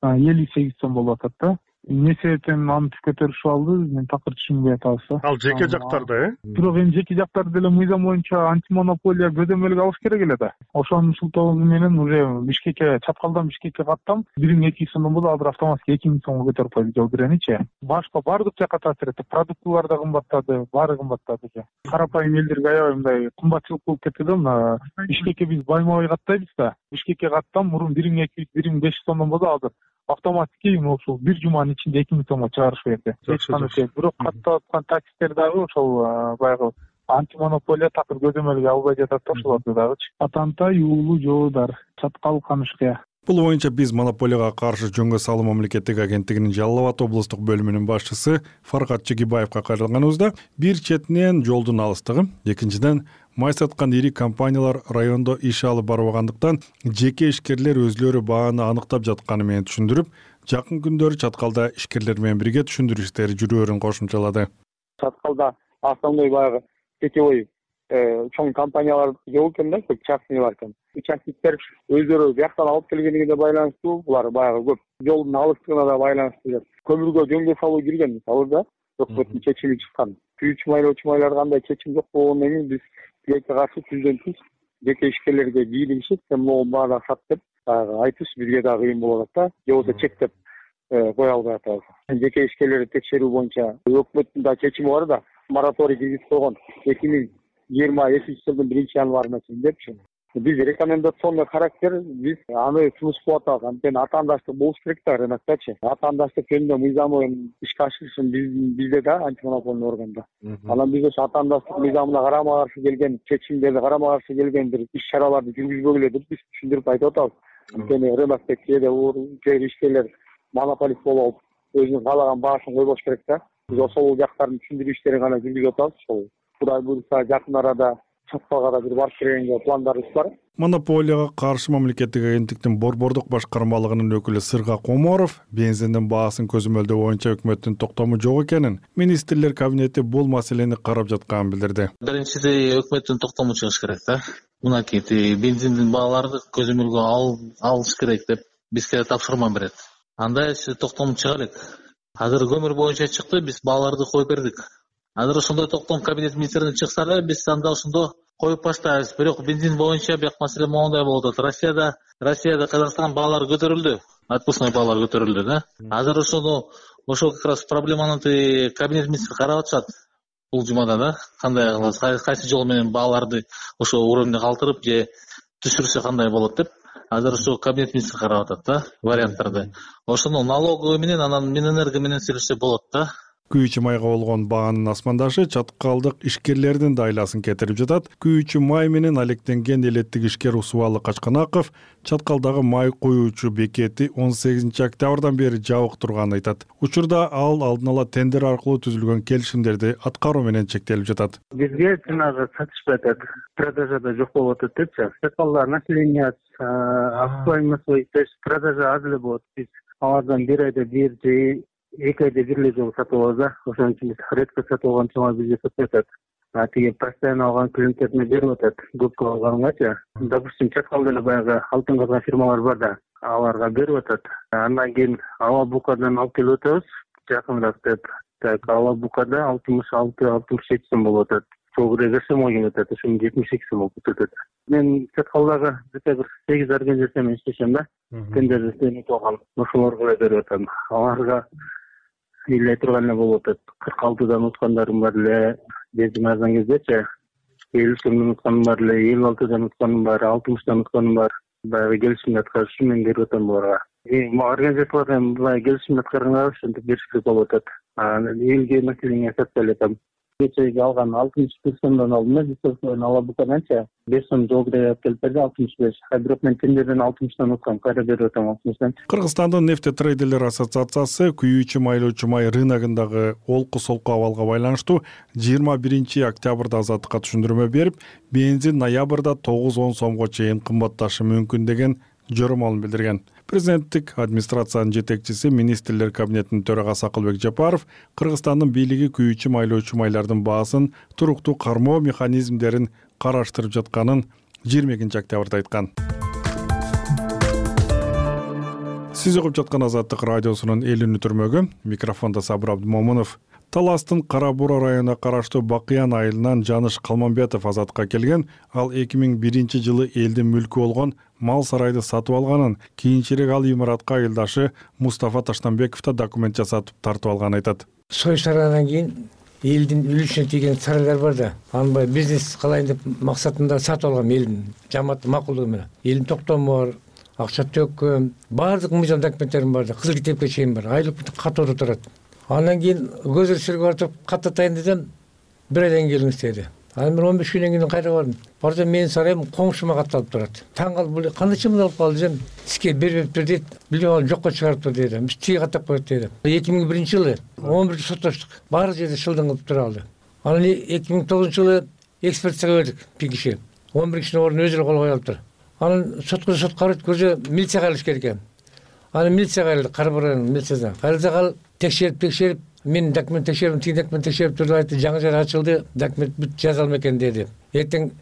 элүү сегиз сом болуп атат да. эмне себептен аны көтөрүшүп алды, мен такыр түшүнбөй атабыз. Ал жеке жактарда, э? Бирок эми жеке жактарды деле мыйзам боюнча антимонополия көзөмөлгө алыш керек эле да. Ошонун шылтоосу менен уже Бишкекке, Чаткалдан Бишкекке каттам бир миң эки жүз сомдон болду, азыр автоматика эки миң сомго көтөрүп койду жол киреничи. Башка баардык жакка таасир этти. Продуктылар да кымбаттады, баары кымбаттады. Карапайым элдерге аябай мындай кымбатчылык болуп кетти да. Мына Бишкекке биз байма-бай каттайбыз да. Бишкекке каттам мурун бир миң эки жүз, бир миң беш жүз сомдон болду, азыр автоматики ушул бир жуманын ичинде эки миң сомго чыгарышып берди. Эч кандай. Бирок каттап аткан таксистер дагы ошол баягы антимонополия такыр көзөмөлгө албай жатат да, ошолорду дагычы. Атантай уулу жоодар, Чаткал Канышкая. Бул боюнча биз монополияга каршы жөнгө салуу мамлекеттик агенттигинин Жалал Абад облустук бөлүмүнүн башчысы Фаркат Чегибаевга кайрылганыбызда бир четинен жолдун алыстыгы, экинчиден май саткан ири компаниялар райондо иш алып барбагандыктан жеке ишкерлер өзлөрү бааны аныктап жатканы менен түшүндүрүп, жакын күндөрү Чаткалда ишкерлер менен бирге түшүндүрүү иштери жүрөөрүн кошумчалады. Чаткалда основной баягы сетевой чоң компаниялар жок экен да, көп частный бар экен. Участниктер өздөрү бияктан алып келгенине байланыштуу, булар баягы көп жолдун алыстыгына да байланыштуу. Көмүргө жөнгө салуу кирген мисалы да, өкмөттүн чечими чыккан. Күйүүчү майлоочу майлар кандай чечим жок болгондон кийин биз тилекке каршы түздөн түз жеке ишкерлерге бийлигишип, сен могу баада сат деп айтыш бизге да кыйын болуп атат да, же болбосо чектеп кое албай атабыз. Жеке ишкерлерди текшерүү боюнча өкмөттүн да чечими бар да, мораторий киргизип койгон эки миң жыйырма экинчи жылдын биринчи январына чейин депчи. Биз рекомендационный характер, биз аны сунуш кылып атабыз. Анткени атаандаштык болуш керек да рыноктачы. Атаандаштык жөнүндө мыйзамын ишке ашырышын бизде да антимонопольный органда. Анан биз ошо атаандаштык мыйзамына карама каршы келген чечимдерди, карама каршы келген бир иш-чараларды жүргүзбөгүлө деп биз түшүндүрүп айтып атабыз. Анткени рыноктеги кээде кээ ишкерлер монополист болуп алып, өзүнүн каалаган баасын койбош керек да. Биз ошол жактарын түшүндүрүү иштерин гана жүргүзүп атабыз. Ошол Кудай буйрса жакын арада Чаткалга да бир барып келгенге пландарыбыз бар. Монополияга каршы мамлекеттик агенттиктин Борбордук башкармалыгынын өкүлү Сырга Коморов бензиндин баасын көзөмөлдөө боюнча өкмөттүн токтому жок экенин, министрлер кабинети бул маселени карап жатканын билдирди. Биринчиси өкмөттүн токтому чыгыш керек да. Мынакей бензиндин бааларды көзөмөлгө алыш керек деп бизге тапшырма берет. Андай токтому чыга элек. Азыр көмүр боюнча чыкты, биз бааларды коюп бердик. Азыр ошондой токтом кабинет министринин чыкса эле биз анда ошондо коюп баштайбыз. Бирок бензин боюнча бияк маселе моундай болуп атат. Россияда, Россияда Казакстан баалары көтөрүлдү. Отпускной баалары көтөрүлдү да. Азыр ошону ошол как раз проблеманы кабинет министри карап атышат. Бул жумада да кандай кылабыз, кайсы жол менен бааларды ошо уровньде калтырып же түшүрсө кандай болот деп. Азыр ошо кабинет министри карап атат да варианттарды. Ошону налоговый менен анан Минэнерго менен сүйлөшсө болот да. Күйүүчү майга болгон баанын асмандашы Чаткалдык ишкерлердин да айласын кетирип жатат. Күйүүчү май менен алектенген элеттик ишкер Усубалы Качканаков Чаткалдагы май куюучу бекети он сегизинчи октябрдан бери жабык турганын айтат. Учурда ал алдын ала тендер аркылуу түзүлгөн келишимдерди аткаруу менен чектелип жатат. Бизге жанагы сатышпай атат, продажада жок болуп атат депчи. Чаткалда население обстоятельства, то есть продажа аз эле болот. Биз алардан бир айда бир же эки айда бир эле жолу сатып алабыз да. Ошон үчүн биз редко сатып алган чоң бизге сатпай атат. А тиги постоянно алган клиенттерине берип атат. Көпкө алгангачы. Допустим, Чаткалда эле баягы алтын казган фирмалар бар да, аларга берип атат. Андан кийин Ала Букадан алып келип атабыз, жакыныраак деп. Так, Ала Букада алтымыш алты алтымыш жети сом болуп атат. Чогура берсем келип атат, ошону жетимиш эки сом болуп кетет. Мен Чаткалдагы где-то бир сегиз организация менен иштешем да. Тендер иштеп алган. Ошолорго эле берип атам. Аларга илей турган эле болуп атат. кырк алтыдан уткандарым бар эле, бензин арзан кездечи. элүү сомдон утканым бар эле, элүү алтыдан утканым бар, алтымыштан утканым бар. Баягы келишимди аткарыш үчүн мен берип атам буларга. Организациялардан былай келишимди аткарганга ошентип бериш керек болуп атат. Элге население сатпай эле атам. Кечеги алган алтымыш беш сомдон алдым да, бизden Ала Букаданча беш сом жолдой алып келип берди, алтымыш беш. А бирок мен тендерден алтымыштан уткам, кайра берип атам алтымыштан. Кыргызстандын нефтетрейдерлер ассоциациясы күйүүчү майлоочу май рыногундагы олку-солку абалга байланыштуу жыйырма биринчи октябрда азаттыкка түшүндүрмө берип, бензин ноябрда тогуз он сомго чейин кымбатташы мүмкүн деген жоромолун билдирген. Президенттик администрациянын жетекчиси, министрлер кабинетинин төрагасы Акылбек Жапаров Кыргызстандын бийлиги күйүүчү майлоочу майлардын баасын туруктуу кармоо механизмдерин караштырып жатканын жыйырма экинчи октябрда айткан. Сиз угуп жаткан Азаттык радиосунун элүүнү түрмөгү, микрофондо Сабыр Абдымомунов. Таластын Кара Буура районуна караштуу Бакыян айылынан Жаныш Калманбетов Азатка келген. Ал эки миң биринчи жылы элдин мүлкү болгон мал сарайды сатып алганын, кийинчерээк ал имаратка айылдашы Мустафа Таштанбеков да документ жасатып тартып алганын айтат. Сой сарайдан кийин элдин үлүшүнө тийген сарайлар бар да. Аны бизнес кылайын деп максатында сатып алгам элдин жамааттын макулдугу менен. Элдин токтому бар, акча төккөм, баардык мыйзам документтерим бар да, кызыл китепке чейин бар. Айлык катоодо турат. Андан кийин көзөр сүргө артып каттатайын десем, бир айдан келиңиз деди. Анан мен он беш күндөн кийин кайра бардым. Бардым, менин сарайым коңшума катталып турат. Таң калып, бул кандай чымды алып калды десем, сизге бербептир дейт, билбей жокко чыгарыптыр деди. Биз тиги каттап коет деди. эки миң биринчи жылы он бирде соттоштук. Баары жерде шылдың кылып тура алды. Анан эки миң тогузунчу жылы экспертизага бердик бир киши. он бир кишинин ордуна өзү эле кол коюп алыптыр. Анан сотко сот карайт, көзө милицияга алыш керек экен. Анан милицияга кайрылдык, Кара Буура районунун милициясына. Кайрылсак ал текшерип текшерип мен документ текшердим, тиги документ текшерип турду, айтты, жаңы жер ачылды, документ бүт жазалма экен деди. Эртең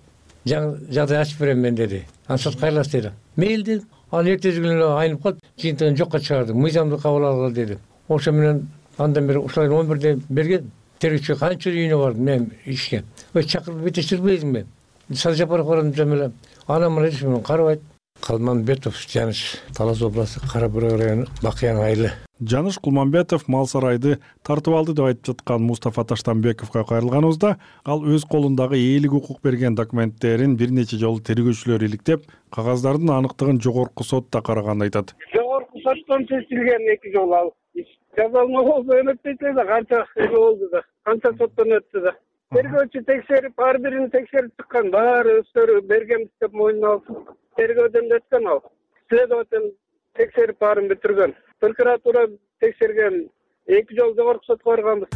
жаңы жагдай ачып берем мен деди. Анан сот кайрылас деди. Мейли дедим. Анан эртеси күнү айнып калып, жыйынтыгын жокко чыгарды. Мыйзамды кабыл алгыла деди. Ошо менен андан бери ушулай он бирде берген. Тергөөчү канча үйүнө бардым мен ишке. Ой чакырып бетештирбейсиңби? Садыр Жапаров барам десем эле. Анан мына ишин карабайт. Калманбетов Жаныш, Талас областы, Кара Буура району, Бакыян айылы. Жаныш Кулманбетов мал сарайды тартып алды деп айтып жаткан Мустафа Таштанбековго кайрылганыбызда, ал өз колундагы ээлик укук берген документтерин бир нече жолу тергөөчүлөр иликтеп, кагаздардын аныктыгын жогорку сотто караганын айтат. Жогорку соттон чечилген эки жолу ал иш. Жазалма болсо эметпейт да, канча болду да, канча соттон өттү да. Тергөөчү текшерип, ар бирин текшерип чыккан, баары өздөрү бергенбиз деп мойнуна алып, тергөөдөн өткөн ал. Следователь текшерип баарын бүтүргөн. Прокуратура текшерген, эки жол жогорку сотко барганбыз.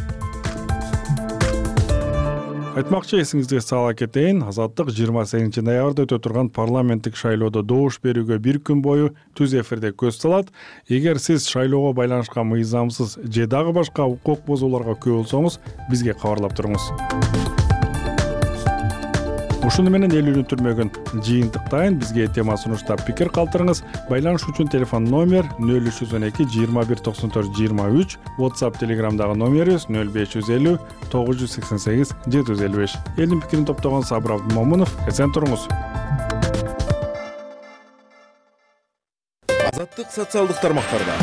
Айтмакчы, эсиңизге сала кетейин, Азаттык жыйырма сегизинчи ноябрда өтө турган парламенттик шайлоодо добуш берүүгө бир күн бою түз эфирде көз салат. Эгер сиз шайлоого байланышкан мыйзамсыз же дагы башка укук бузууларга күбө болсоңуз, бизге кабарлап туруңуз. Ушуну менен элүүнү түрмөгүн жыйынтыктайын. Бизге тема сунуштап пикир калтырыңыз. Байланыш үчүн телефон номер нөл үч жүз он эки жыйырма бир токсон төрт жыйырма үч, WhatsApp, Telegramдагы номерибиз нөл беш жүз элүү тогуз жүз сексен сегиз жети жүз элүү беш. Элдин пикирин топтогон Сабыр Абдымомунов, эсен туруңуз. Азаттык социалдык тармактарда.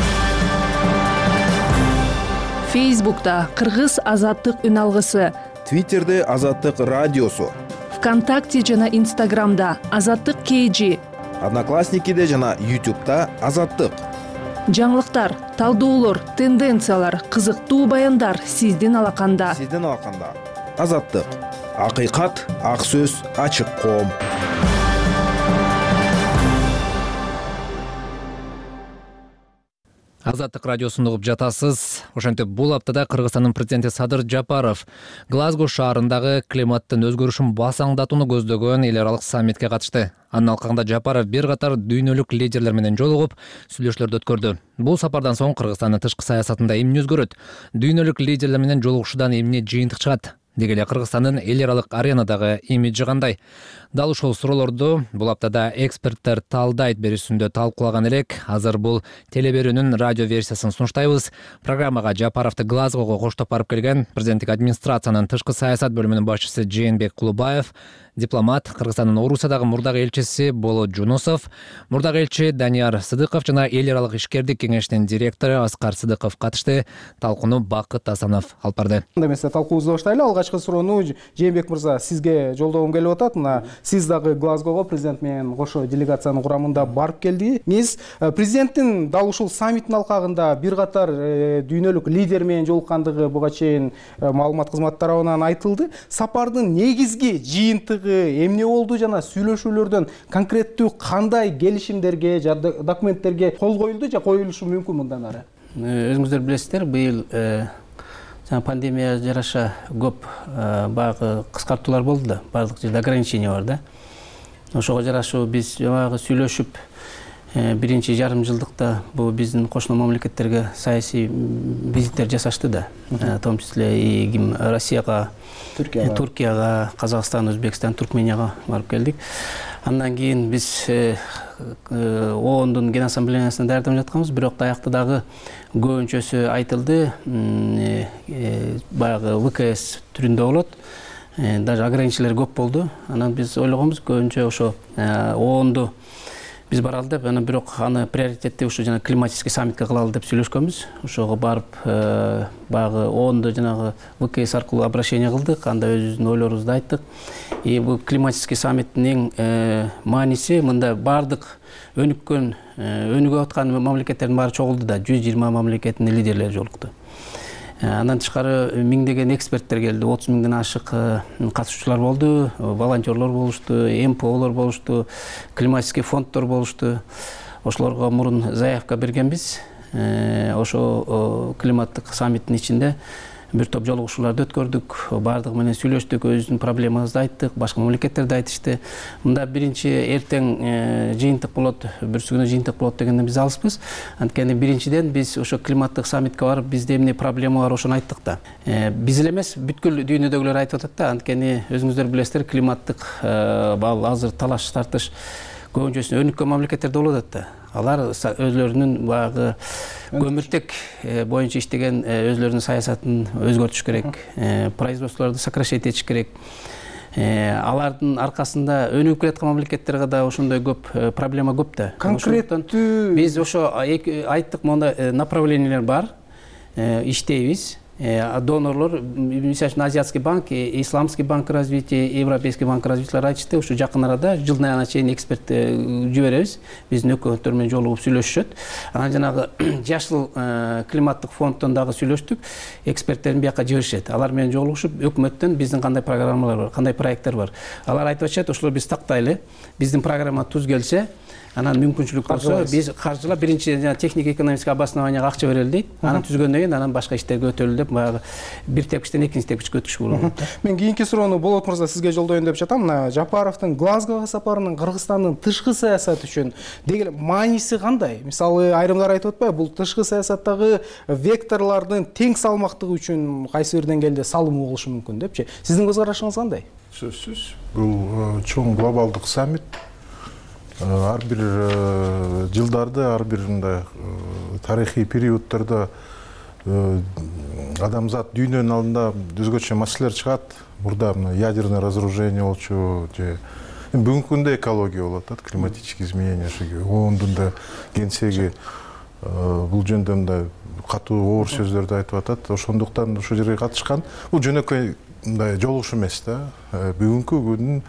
Фейсбукта Кыргыз Азаттык үн алгысы, Твиттерде Азаттык радиосу, ВКонтакте жана Инстаграмда Азаттык кей жи, Одноклассникиде жана Ютубта Азаттык. Жаңылыктар, талдоолор, тенденциялар, кызыктуу баяндар сиздин алаканда. Сиздин алаканда. Азаттык. Акыйкат, ак сөз, ачык коом. Азаттык радиосун угуп жатасыз. Ошентип бул аптада Кыргызстандын президенти Садыр Жапаров Глазго шаарындагы климаттын өзгөрүшүн басаңдатууну көздөгөн эл аралык саммитке катышты. Анын алкагында Жапаров бир катар дүйнөлүк лидерлер менен жолугуп, сүйлөшүүлөрдү өткөрдү. Бул сапардан соң Кыргызстандын тышкы саясатында эмне өзгөрөт? Дүйнөлүк лидерлер менен жолугушуудан эмне жыйынтык чыгат? Деги эле Кыргызстандын эл аралык аренадагы имиджи кандай? Дал ушул суроолорду бул аптада эксперттер талдайт берүүсүндө талкуулаган элек. Азыр бул телеберүүнүн радио версиясын сунуштайбыз. Программага Жапаровду Глазгого коштоп барып келген президенттик администрациянын тышкы саясат бөлүмүнүн башчысы Жээнбек Кулубаев, дипломат, Кыргызстандын Орусиядагы мурдагы элчиси Болот Жунусов, мурдагы элчи Данияр Сыдыков жана эл аралык ишкердик кеңештин директору Аскар Сыдыков катышты. Талкууну Бакыт Асанов алып барды. Эмесе талкуубузду баштайлы. Алгачкы суроону Жээнбек мырза сизге жолдогум келип атат. Мына сиз дагы Глазгого президент менен кошо делегациянын курамында барып келдиңиз. Президенттин дал ушул саммиттин алкагында бир катар дүйнөлүк лидер менен жолуккандыгы буга чейин маалымат кызматы тарабынан айтылды. Сапардын негизги жыйынтыгы эмне болду жана сүйлөшүүлөрдөн конкреттүү кандай келишимдерге жана документтерге кол коюлду же коюлушу мүмкүн мындан ары? Өзүңүздөр билесиздер, быйыл жана пандемия жараша көп баягы кыскартуулар болду да, баардык жерде ограничение бар да. Ошого жарашуу биз баягы сүйлөшүп биринчи жарым жылдыкта бул биздин кошуна мамлекеттерге саясий визиттер жасашты да, в том числе и Россияга, Туркияга, Казакстан, Өзбекстан, Туркменияга барып келдик. Андан кийин биз оондун ген ассамблеясына даярдап жатканбыз, бирок даякта дагы көбүнчөсү айтылды, баягы вэ ка эс түрүндө болот. Даже ограничениялар көп болду. Анан биз ойлогонбуз көбүнчө ошо оонду биз баралы деп, анан бирок аны приоритетти ушу жана климатический саммитке кылалы деп сүйлөшкөнбүз. Ошого барып баягы оонду жанагы вэ ка эс аркылуу обращение кылдык, анда өзүбүздүн ойлорубузду айттык. И бул климатический саммиттин эң мааниси мында бардык өнүккөн, өнүгүп аткан мамлекеттердин баары чогулду да, жүз жыйырма мамлекеттин лидерлери жолукту. Андан тышкары миңдеген эксперттер келди, отуз миңден ашык катышуучулар болду, волонтерлор болушту, эм пэ олор болушту, климатический фонддор болушту. Ошолорго мурун заявка бергенбиз. Ошо климаттык саммиттин ичинде бир топ жолугушууларды өткөрдүк, бардыгы менен сүйлөштүк, өзүбүздүн проблемабызды айттык, башка мамлекеттер да айтышты. Мында биринчи эртең жыйынтык болот, бүрсү күнү жыйынтык болот дегенден биз алыспыз. Анткени биринчиден биз ошо климаттык саммитке барып, бизде эмне проблема бар ошону айттык да. Биз эле эмес, бүткүл дүйнөдөгүлөр айтып атат да, анткени өзүңүздөр билесиздер, климаттык азыр талаш тартыш көбүнчөсү өнүккөн мамлекеттерде болуп атат да. Алар өзлөрүнүн баягы көмүртек боюнча иштеген өзлөрүнүн саясатын өзгөртүш керек, производстволорду сокращать этиш керек. Алардын аркасында өнүгүп келаткан мамлекеттерге да ошондой көп проблема көп да. Конкреттүү биз ошо айттык, монда направлениялар бар, иштейбиз. Донорлор, мисалы үчүн Азиатский банк, Исламский банк развития, Европейский банк развитиялар айтышты, ушу жакын арада жылдын айына чейин эксперт жиберебиз. Биздин өкмөттөр менен жолугуп сүйлөшүшөт. Анан жанагы жашыл климаттык фонддон дагы сүйлөштүк. Эксперттерин бияка жиберишет. Алар менен жолугушуп, өкмөттөн биздин кандай программалар бар, кандай проекттер бар. Алар айтып атышат, ошолор биз тактайлы. Биздин программа туз келсе, анан мүмкүнчүлүк болсо биз каржылап биринчи технико экономический обоснованияга акча берели дейт. Анан түзгөндөн кийин анан башка иштерге өтөлү деп баягы бир тепкичтен экинчи тепкичке өтүшкө болот. Мен кийинки суроону Болот мырза сизге жолдоюн деп жатам. Мына Жапаровдун Глазгого сапарынын Кыргызстандын тышкы саясаты үчүн деген мааниси кандай? Мисалы айрымдар айтып атпайбы, бул тышкы саясаттагы векторлордун тең салмактыгы үчүн кайсы бир деңгээлде салымы болушу мүмкүн депчи. Сиздин көз карашыңыз кандай? Сөзсүз, бул чоң глобалдык саммит. Ар бир жылдарда, ар бир мындай тарыхый периоддордо адамзат дүйнөнүн алдында өзгөчө маселелер чыгат. Мурда ядерное разоружение болчу, же бүгүнкү күндө экология болуп атат, климатические изменения, оондун да генсеги бул жөнүндө мындай катуу оор сөздөрдү айтып атат. Ошондуктан ушул жерге катышкан. Бул жөнөкөй мындай жолугуш эмес да. Бүгүнкү күндүн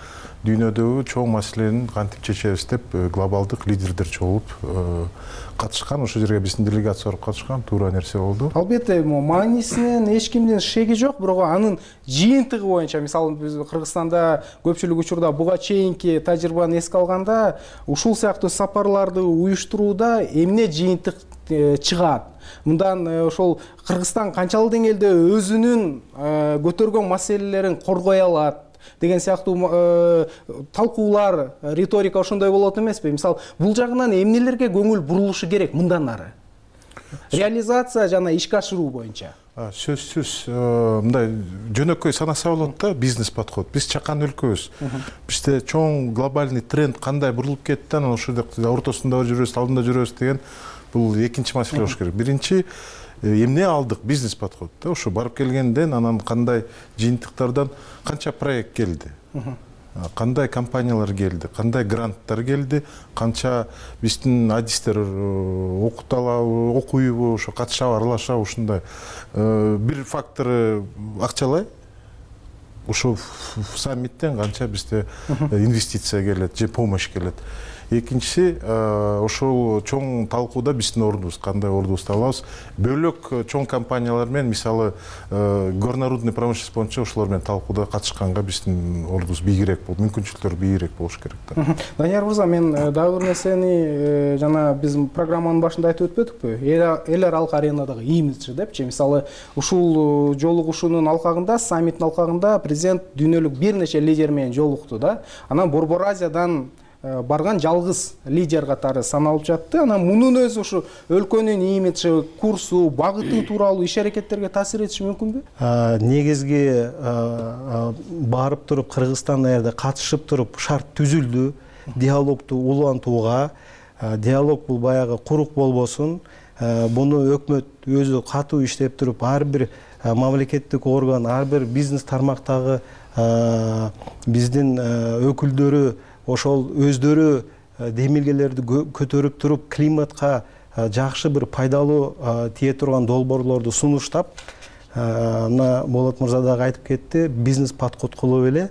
дүйнөдөгү чоң маселени кантип чечебиз деп глобалдык лидердер чогулуп катышкан. Ошол жерге биздин делегация барып катышкан, туура нерсе болду. Албетте, мааниснин эч кимдин шеги жок, бирок анын жыйынтыгы боюнча, мисалы биз Кыргызстанда көпчүлүк учурда буга чейинки тажрыйбаны эске алганда, ушул сыяктуу сапарларды уюштурууда эмне жыйынтык чыгат? Мындан ошол Кыргызстан канчалык деңгээлде өзүнүн көтөргөн маселелерин коргой алат деген сыяктуу талкуулар, риторика ошондой болот эмеспи? Мисалы, бул жагынан эмнелерге көңүл бурулушу керек мындан ары? Реализация жана ишке ашыруу боюнча. Сөзсүз, мындай жөнөкөй санаса болот да, бизнес подход. Биз чакан өлкөбүз. Бизде чоң глобальный тренд кандай бурулуп кетти, анан ошол ортосунда жүрөбүз, алдында жүрөбүз деген бул экинчи маселе болуш керек. Биринчи эмне алдык? Бизнес подход. Ошо барып келгенден анан кандай жыйынтыктардан канча проект келди? Кандай компаниялар келди? Кандай гранттар келди? Канча биздин адистер окуталабы, окуйбу, ошо катышабы, аралашабы, ушундай. Бир фактору акчалай. Ошо саммиттен канча бизде инвестиция келет, же помощь келет. Экинчиси, ошол чоң талкууда биздин ордубуз, кандай ордубузду алабыз. Бөлөк чоң компаниялар менен, мисалы, горнорудный промышленность боюнча ошолор менен талкууда катышканга биздин ордубуз бийигирээк болуп, мүмкүнчүлүктөр бийигирээк болуш керек да. Данияр мырза, мен дагы бир нерсени жана биз программанын башында айтып өтпөдүкпү? Эл аралык аренадагы имиджи депчи. Мисалы, ушул жолугушуунун алкагында, саммиттин алкагында президент дүйнөлүк бир нече лидер менен жолукту да. Анан Борбор Азиядан барган жалгыз лидер катары саналып жатты. Анан мунун өзү ушу өлкөнүн имиджи, курсу, багыты тууралуу иш аракеттерге таасир этиши мүмкүнбү? Негизги барып туруп Кыргызстан жерде катышып туруп шарт түзүлдү. диалогду улантууга. Диалог бул баягы курук болбосун. Буну өкмөт өзү катуу иштеп туруп, ар бир мамлекеттик орган, ар бир бизнес тармактагы биздин өкүлдөрү ошол өздөрү демилгелерди көтөрүп туруп, климатка жакшы бир пайдалуу тие турган долбоорлорду сунуштап, мына Болот мырза дагы айтып кетти, бизнес подход кылып эле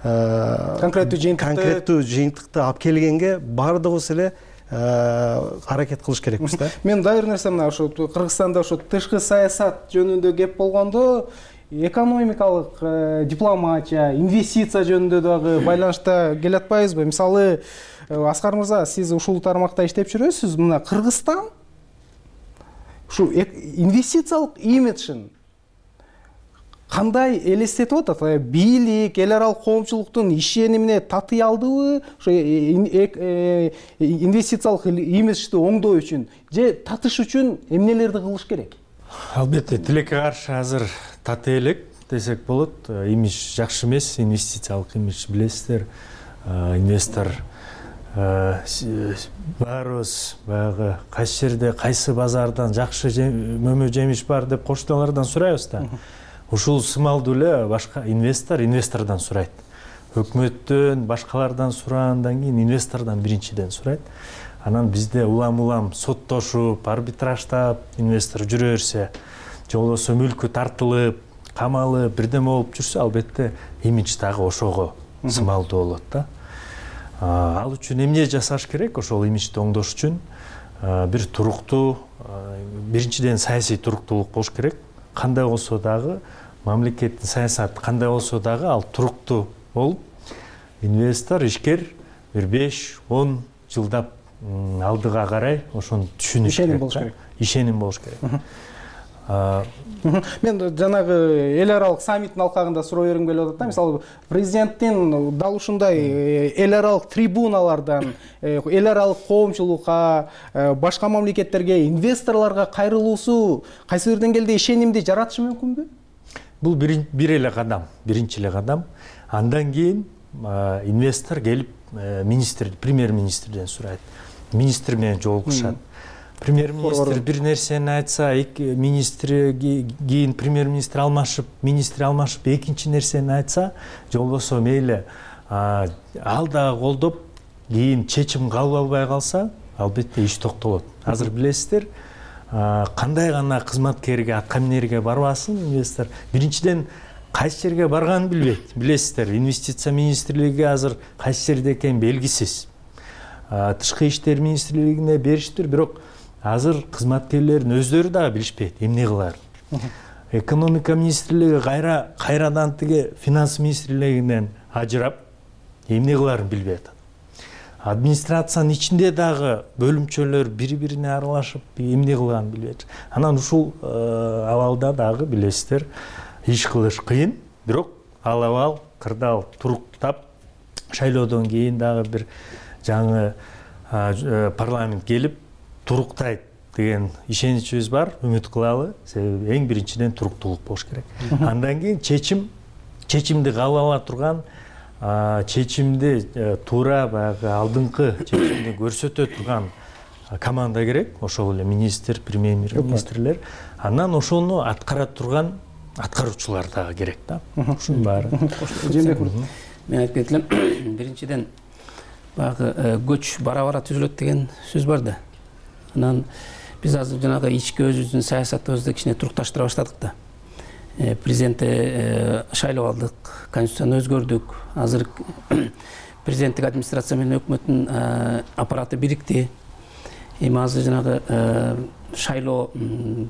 конкреттүү жыйынтыкты конкреттүү жыйынтыкты алып келгенге баардыгыбыз эле аракет кылыш керекпиз да. Мен дайыр нерсе мына ошо Кыргызстанда ошо тышкы саясат жөнүндө кеп болгондо экономикалык дипломатия, инвестиция жөнүндө дагы байланышта келатпайбызбы? Мисалы, Аскар мырза, сиз ушул тармакта иштеп жүрөсүз. Мына Кыргызстан ушу инвестициялык имиджин кандай элестетип атат? Бийлик, эл аралык коомчулуктун ишенимине татый алдыбы? Ошо инвестициялык имиджди оңдоо үчүн же татыш үчүн эмнелерди кылыш керек? Албетте, тилекке каршы азыр татый элек десек болот. Имидж жакшы эмес, инвестициялык имидж билесиздер. Инвестор баарыбыз баягы кайсы жерде, кайсы базардан жакшы мөмө жемиш бар деп кошталардан сурайбыз да. Ушул сымалдуу эле башка инвестор инвестордон сурайт. Өкмөттөн, башкалардан сурагандан кийин инвестордон биринчиден сурайт. Анан бизде улам-улам соттошуп, арбитраждап инвестор жүрө берсе, же болбосо мүлкү тартылып, камалып, бирдеме болуп жүрсө, албетте имидж дагы ошого сымалдуу болот да. Ал үчүн эмне жасаш керек? Ошол имиджди оңдош үчүн бир туруктуу, биринчиден саясий туруктуулук болуш керек. Кандай болсо дагы мамлекеттин саясаты кандай болсо дагы ал туруктуу болуп, инвестор, ишкер бир беш он жылдап алдыга карай ошону түшүнүш керек. Ишеним болуш керек. Мен жанагы эл аралык саммиттин алкагында суроо бергим келип атат да. Мисалы, президенттин дал ушундай эл аралык трибуналардан эл аралык коомчулукка, башка мамлекеттерге, инвесторлорго кайрылуусу кайсы бир деңгээлде ишенимди жаратышы мүмкүнбү? Бул бир эле кадам, биринчи эле кадам. Андан кийин инвестор келип министр, премьер-министрден сурайт. Министр менен жолугушат. Премьер-министр бир нерсени айтса, министр кийин премьер-министр алмашып, министр алмашып экинчи нерсени айтса, же болбосо мейли ал дагы колдоп, кийин чечим кабыл албай калса, албетте иш токтолот. Азыр билесиздер, кандай гана кызматкерге, аткаминерге барбасын инвестор, биринчиден кайсы жерге барганын билбейт. Билесиздер, инвестиция министрлиги азыр кайсы жерде экени белгисиз. Тышкы иштер министрлигине бериштир, бирок азыр кызматкерлердин өздөрү дагы билишпейт эмне кыларын. Экономика министрлиги кайра кайрадан тиги финанс министрлигинен ажырап, эмне кыларын билбей атат. Администрациянын ичинде дагы бөлүмчөлөр бири-бирине аралашып, эмне кылганын билбейт. Анан ушул абалда дагы билесиздер, иш кылыш кыйын, бирок ал абал кырдаал туруктап, шайлоодон кийин дагы бир жаңы парламент келип туруктайт деген ишеничибиз бар, үмүт кылалы. Себеби эң биринчиден туруктуулук болуш керек. Андан кийин чечим, чечимди кабыл ала турган, чечимди туура баягы алдыңкы чечимди көрсөтө турган команда керек. Ошол эле министр, премьер-министрлер. Андан ошону аткара турган аткаруучулар дагы керек да. Ушунун баары. Мен айтып кетелем, биринчиден баягы көч бара-бара түзүлөт деген сөз бар да. Анан биз азыр жанагы ички өзүбүздүн саясатыбызды кичине турукташтыра баштадык да. Президентти шайлап алдык, конституцияны өзгөрдүк. Азыр президенттик администрация менен өкмөттүн аппараты бирикти. Эми азыр жанагы шайлоо,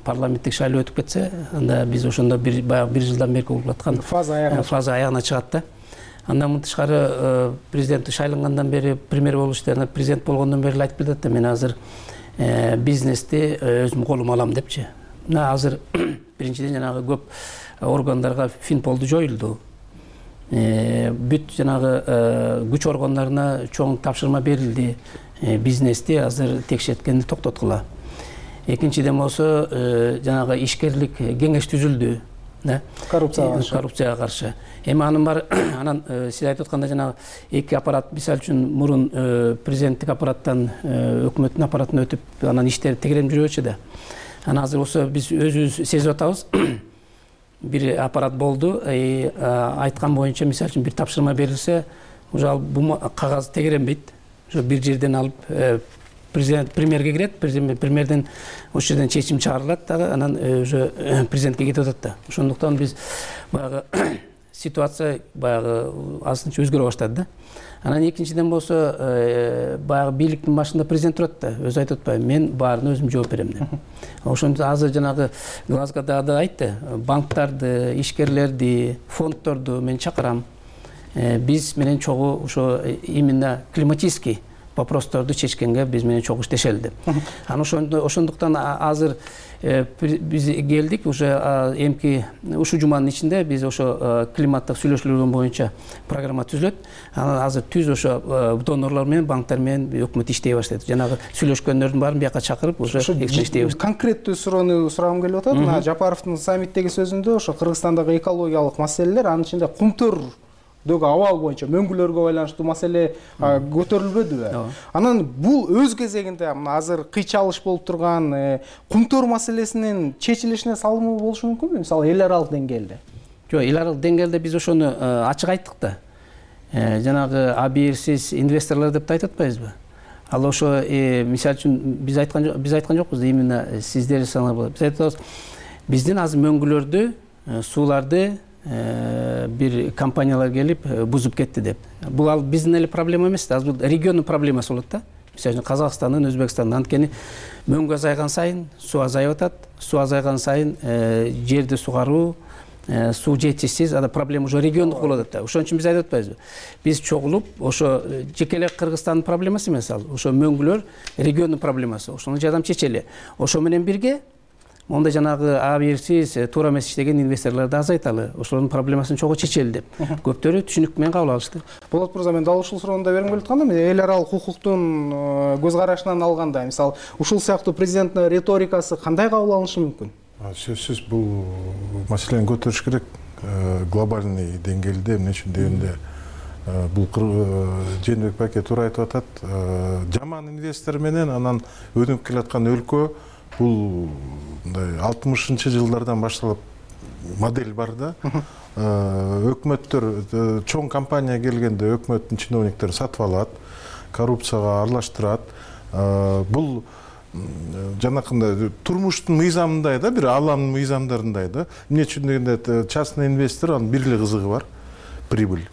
парламенттик шайлоо өтүп кетсе, анда биз ошондо бир баягы бир жылдан бери болуп аткан фаза аягына чыгат да. Андан мынтыш тышкары президент шайлангандан бери, премьер болуп иштеген, президент болгондон бери айтып келет да, мен азыр бизнести өзүм колума алам депчи. Мына азыр биринчиден жанагы көп органдарга Финполду жоюлду. Бүт жанагы күч органдарына чоң тапшырма берилди. Бизнести азыр текшерткенди токтоткула. Экинчиден болсо жанагы ишкерлик кеңеш түзүлдү. да, коррупцияга каршы коррупцияга каршы. Эми анын бар анан сиз айтып аткандай жанагы эки аппарат, мисалы үчүн мурун президенттик аппараттан өкмөттүн аппаратына өтүп анан иштер тегеренип жүрбөчү да. Анан азыр болсо биз өзүбүз сезип атабыз. Бир аппарат болду, айткан боюнча мисалы үчүн бир тапшырма берилсе, уже ал кагаз тегеренбейт. Ошо бир жерден алып президент премьерге кирет, премьерден ошол жерден чечим чыгарылат дагы, анан уже президентке кетип атат да. Ошондуктан биз баягы ситуация баягы азырынча өзгөрө баштады да. Анан экинчиден болсо баягы бийликтин башында президент турат да, өзү айтып атпайбы, мен баарына өзүм жооп берем деп. Ошондо азыр жанагы Глазгода да айтты, банктарды, ишкерлерди, фонддорду мен чакырам. Биз менен чогуу ошо именно климатический вопросторду чечкенге биз менен чогуу иштешели деп. Анан ошондуктан азыр биз келдик, уже эмки ушул жуманын ичинде биз ошо климаттык сүйлөшүүлөр боюнча программа түзүлөт. Анан азыр түз ошо донорлор менен, банктар менен өкмөт иштей баштайт. Жанагы сүйлөшкөндөрдүн баарын бияка чакырып, уже иштей баштайт. Конкреттүү суроону сурагым келип атат. Мына Жапаровдун саммиттеги сөзүндө ошо Кыргызстандагы экологиялык маселелер, анын ичинде кумтөр дөг абал боюнча мөңгүлөргө байланыштуу маселе көтөрүлбөдүбү? Анан бул өз кезегинде мына азыр кыйчалыш болуп турган кумтөр маселесинин чечилишине салымы болушу мүмкүнбү? Мисалы эл аралык деңгээлде. Жок, эл аралык деңгээлде биз ошону ачык айттык да. Жанагы абийирсиз инвесторлор деп айтып атпайбызбы? Ал ошо мисалы үчүн биз айткан биз айткан жокпуз, именно сиздер санап болот. Биз айтып атабыз, биздин азыр мөңгүлөрдү, сууларды бир компаниялар келип бузуп кетти деп. Бул ал биздин эле проблема эмес да, бул региондун проблемасы болот да. Мисалы үчүн Казакстандын, Өзбекстандын, анткени мөңгү азайган сайын суу азайып атат, суу азайган сайын жерди сугаруу, суу жетишсиз, анда проблема уже региондук болуп атат да. Ошон үчүн биз айтып атпайбызбы? Биз чогулуп, ошо жеке эле Кыргызстандын проблемасы эмес ал. Ошо мөңгүлөр региондун проблемасы. Ошону жардам чечели. Ошо менен бирге монда жанагы абийирсиз, туура эмес иштеген инвесторлорду азайталы, ошолордун проблемасын чогуу чечели деп. Көптөрү түшүнүк менен кабыл алышты. Болот мырза, мен дал ушул суроону да бергим келип атканда, эл аралык укуктун көз карашынан алганда, мисалы, ушул сыяктуу президенттин риторикасы кандай кабыл алынышы мүмкүн? Сөзсүз бул маселени көтөрүш керек. Глобальный деңгээлде эмне үчүн дегенде бул Жээнбек байке туура айтып атат. Жаман инвестор менен анан өнүгүп келаткан өлкө бул мындай алтымышынчы жылдардан башталып модель бар да. Өкмөттөр чоң компания келгенде өкмөттүн чиновниктери сатып алат, коррупцияга аралаштырат. Бул жанакындай турмуштун мыйзамындай да, бир аламдын мыйзамдарындай да. Эмне үчүн дегенде частный инвестор, анын бир эле кызыгы бар, прибыль.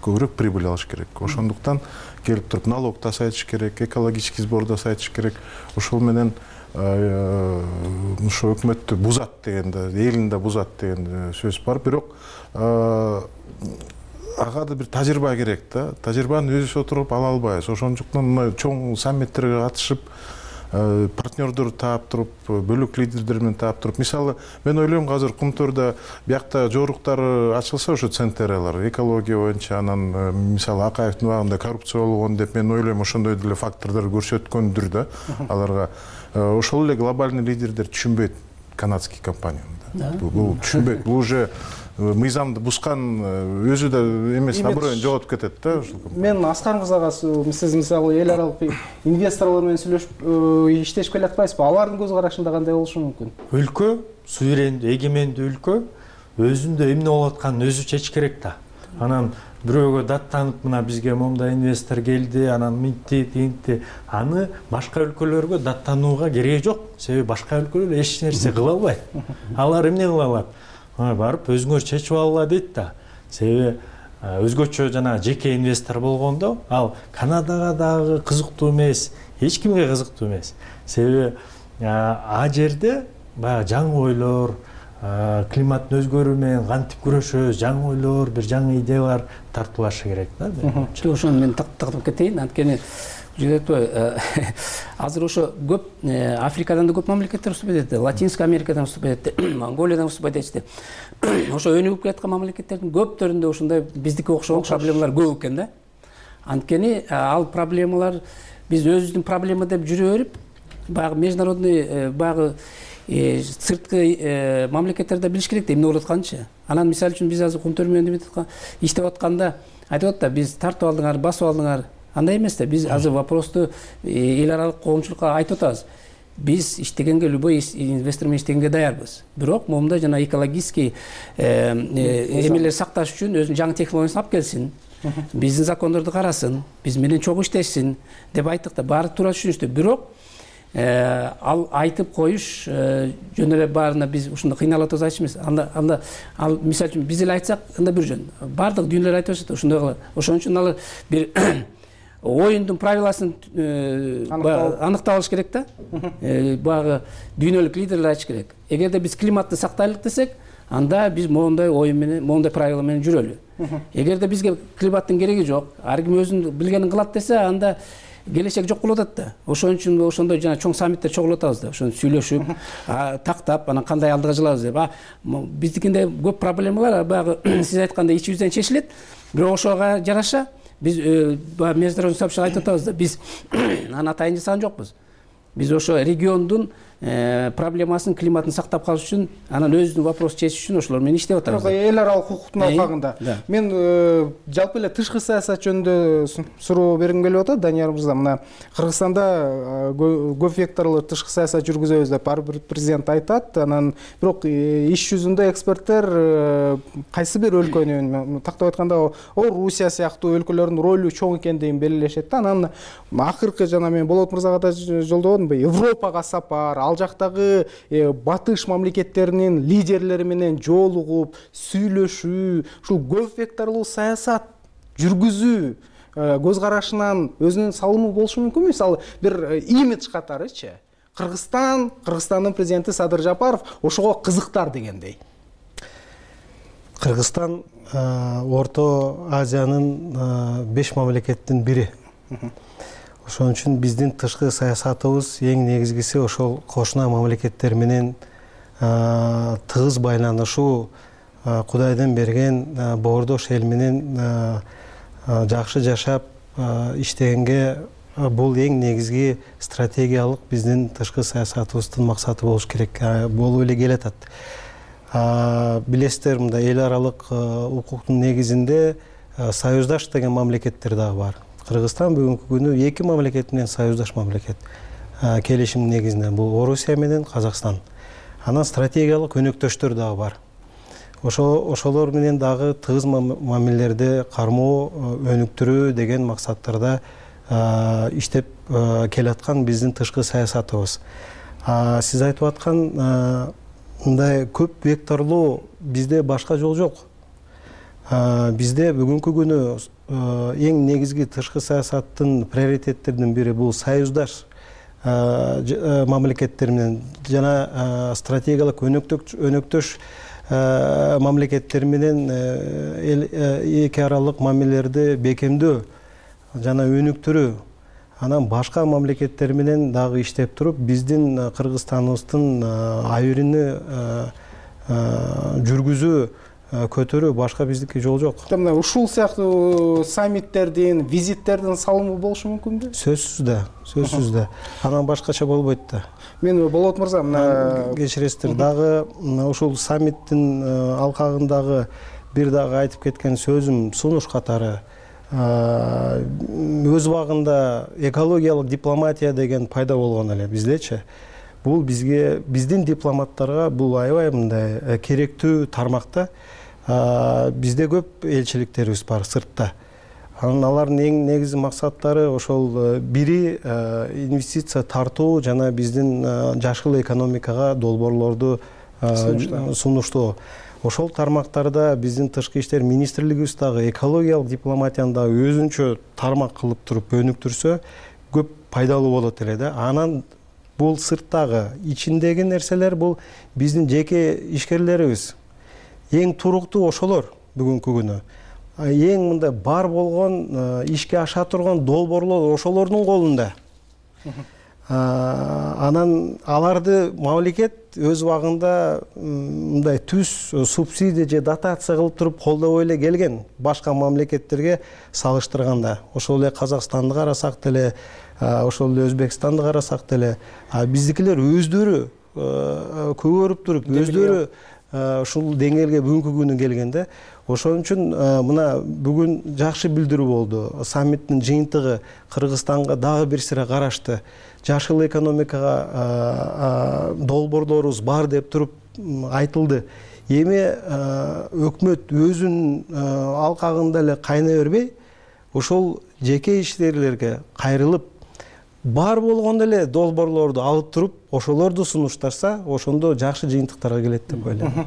Көбүрөөк прибыль алыш керек. Ошондуктан келип туруп налог тасайтыш керек, экологический сбор тасайтыш керек. Ошол менен ошо өкмөттү бузат дегенде, элин да бузат деген сөз бар. Бирок ага да бир тажрыйба керек да. Тажрыйбаны өзүбүз отуруп ала албайбыз. Ошондуктан мына чоң саммиттерге катышып, партнердор таап туруп, бөлөк лидерлер менен таап туруп. Мисалы, мен ойлойм, азыр Кумтөрдө биякта жоруктары ачылса, ошо централар, экология боюнча, анан мисалы Акаевдин убагында коррупция болгон деп, мен ойлойм, ошондой деле фактордор көрсөткөндүр да аларга. Ошол эле глобальный лидерлер түшүнбөйт канадский компанияны. Бул түшүнбөйт. Бул уже мыйзамды бускан өзү да эмес, наоборот жоготуп кетет да. Мен Аскар мырзага, сиз мисалы эл аралык инвесторлор менен сүйлөшүп иштешип келатпайсызбы? Алардын көз карашында кандай болушу мүмкүн? Өлкө, суверендүү, эгемендүү өлкө өзүндө эмне болуп атканын өзү чечиш керек да. Анан бирөөгө даттанып, мына бизге момда инвестор келди, анан мынтти, тинтти, аны башка өлкөлөргө даттанууга кереги жок. Себеби башка өлкөлөр эч нерсе кыла албайт. Алар эмне кыла алат? Барып өзүңөр чечип алгыла дейт да. Себеби өзгөчө жана жеке инвестор болгондо, ал Канадага дагы кызыктуу эмес, эч кимге кызыктуу эмес. Себеби а жерде баягы жаңы ойлор, климаттын өзгөрүү менен кантип күрөшөбүз, жаңы ойлор, бир жаңы идеялар тартылышы керек да. Ошону мен тактап кетейин, анткени азыр ошо көп Африкадан да көп мамлекеттер уступать этти, Латинская Америкадан уступать этти, Монголиядан уступать этти. Ошо өнүгүп келаткан мамлекеттердин көптөрүндө ушундай биздики окшогон проблемалар көп экен да. Анткени ал проблемалар биз өзүбүздүн проблема деп жүрө берип, баягы международный баягы сырткы мамлекеттерде билиш керек да эмне болуп атканынчы. Анан мисалы үчүн биз азыр контор менен иштеп атканда айтып атат да, биз тартып алдыңар, басып алдыңар. Андай эмес да, биз азыр вопросту эл аралык коомчулукка айтып атабыз. Биз иштегенге, любой инвестор менен иштегенге даярбыз. Бирок момунда жана экологический эмелер сакташ үчүн өзүнүн жаңы технологиясын алып келсин. Биздин закондорду карасын, биз менен чогуу иштешсин деп айттык да, баары туура түшүнүштү. Бирок ал айтып коюш жөн эле баарына биз ушундай кыйналып атабыз айтыш эмес. Анда анда ал мисалы үчүн биз эле айтсак, анда бир жөн. Бардык дүйнөлөр айтып атат, ошондой кылып. Ошон үчүн алар бир оюндун правиласын аныктап алыш керек да. Баягы дүйнөлүк лидерлер айтыш керек. Эгерде биз климатты сактайлык десек, анда биз моундай оюн менен, моундай правила менен жүрөлү. Эгерде бизге климаттын кереги жок, ар ким өзүнүн билгенин кылат десе, анда келечек жок болуп атат да. Ошон үчүн ошондой жана чоң саммиттер чогулуп атабыз да. Ошону сүйлөшүп, тактап, анан кандай алдыга жылабыз деп. Биздикинде көп проблемалар баягы сиз айткандай ич жүздөн чечилет. Бирок ошого жараша биз международный сообщество айтып атабыз да, биз анан атайын жасаган жокпуз. Биз ошо региондун проблемасын, климатын сактап калыш үчүн, анан өзүнүн вопросун чечиш үчүн ошолор менен иштеп атабыз. Эл аралык укуктун алкагында мен жалпы эле тышкы саясат жөнүндө суроо бергим келип атат, Данияр мырза. Мына Кыргызстанда көп векторлуу тышкы саясат жүргүзөбүз деп ар бир президент айтат. Анан бирок иш жүзүндө эксперттер кайсы бир өлкөнүн, тактап айтканда, Орусия сыяктуу өлкөлөрдүн ролу чоң экендигин белгилешет да. Анан акыркы жана мен Болот мырзага да жолдогон, Европага сапар, ал жактагы батыш мамлекеттеринин лидерлери менен жолугуп, сүйлөшүү, ушул көп векторлуу саясат жүргүзүү көз карашынан өзүнүн салымы болушу мүмкүнбү? Мисалы, бир имидж катарычы. Кыргызстан, Кыргызстандын президенти Садыр Жапаров ошого кызыктар дегендей. Кыргызстан Орто Азиянын беш мамлекеттин бири. Ошон үчүн биздин тышкы саясатыбыз эң негизгиси ошол кошуна мамлекеттер менен тыгыз байланышуу, Кудайдан берген боордош эл менен жакшы жашап иштегенге бул эң негизги стратегиялык биздин тышкы саясатыбыздын максаты болуш керек, болуп эле келатат. Билесиздер, мында эл аралык укуктун негизинде союздаш деген мамлекеттер дагы бар. Кыргызстан бүгүнкү күнү эки мамлекет менен союздаш мамлекет. Келишим негизинде бул Орусия менен Казакстан. Анан стратегиялык өнөктөштөр дагы бар. Ошолор менен дагы тыгыз мамилелерди кармоо, өнүктүрүү деген максаттарда иштеп келаткан биздин тышкы саясатыбыз. Сиз айтып аткан мындай көп векторлуу бизде башка жол жок. Бизде бүгүнкү күнү эң негизги тышкы саясаттын приоритеттеринин бири бул союздаш мамлекеттер менен жана стратегиялык өнөктөш мамлекеттер менен эки аралык мамилелерди бекемдөө жана өнүктүрүү. Анан башка мамлекеттер менен дагы иштеп туруп, биздин Кыргызстаныбыздын айырыны жүргүзүү, көтөрүү, башка биздики жол жок. Мына ушул сыяктуу саммиттердин, визиттердин салымы болушу мүмкүнбү? Сөзсүз да, сөзсүз да. Анан башкача болбойт да. Мен Болот мырза, мына кечиресиздер, дагы ушул саммиттин алкагындагы бир дагы айтып кеткен сөзүм, сунуш катары өз убагында экологиялык дипломатия деген пайда болгон эле биздечи. Бул бизге, биздин дипломаттарга бул аябай мындай керектүү тармакта. Бизде көп элчиликтерибиз бар сыртта. Анан алардын эң негизги максаттары ошол бири инвестиция тартуу жана биздин жашыл экономикага долбоорлорду сунуштоо. Ошол тармактарда биздин тышкы иштер министрлигибиз дагы экологиялык дипломатияны дагы өзүнчө тармак кылып туруп өнүктүрсө көп пайдалуу болот эле да. Анан бул сырттагы, ичиндеги нерселер бул биздин жеке ишкерлерибиз. Эң туруктуу ошолор бүгүнкү күнү. Эң мындай бар болгон, ишке аша турган долбоорлор ошолордун колунда. Анан аларды мамлекет өз убагында мындай түз субсидия же дотация кылып туруп колдобой эле келген башка мамлекеттерге салыштырганда. Ошол эле Казакстанды карасак деле, ошол эле Өзбекстанды карасак деле, биздикилер өздөрү көгөрүп туруп өздөрү ушул деңгээлге бүгүнкү күнү келгенде. Ошон үчүн мына бүгүн жакшы билдирүү болду. Саммиттин жыйынтыгы Кыргызстанга дагы бир сыйра карашты. Жашыл экономикага долбоорлорубуз бар деп туруп айтылды. Эми өкмөт өзүнүн алкагында эле кайнай бербей, ошол жеке ишкерлерге кайрылып, бар болгондо эле долбоорлорду алып туруп, ошолорду сунуштарса, ошондо жакшы жыйынтыктарга келет деп ойлойм.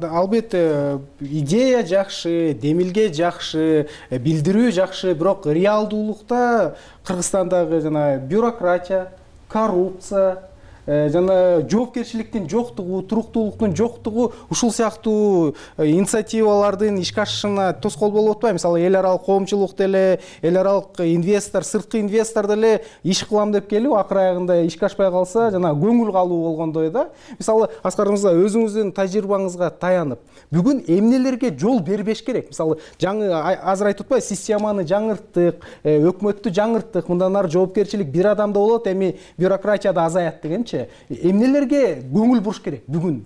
Албетте, идея жакшы, демилге жакшы, билдирүү жакшы, бирок реалдуулукта Кыргызстандагы жана бюрократия, коррупция, жана жоопкерчиликтин жоктугу, туруктуулуктун жоктугу ушул сыяктуу инициативалардын ишке ашышына тоскоол болуп атпайбы? Мисалы, эл аралык коомчулук деле, эл аралык инвестор, сырткы инвестор деле иш кылам деп келип, акыр аягында ишке ашпай калса, жана көңүл калуу болгондой да. Мисалы, Аскар мырза, өзүңүздүн тажрыйбаңызга таянып, бүгүн эмнелерге жол бербеш керек? Мисалы, жаңы азыр айтып атпайбы, системаны жаңырттык, өкмөттү жаңырттык, мындан ары жоопкерчилик бир адамда болот, эми бюрократия да азаят дегенчи. Эмнелерге көңүл буруш керек бүгүн?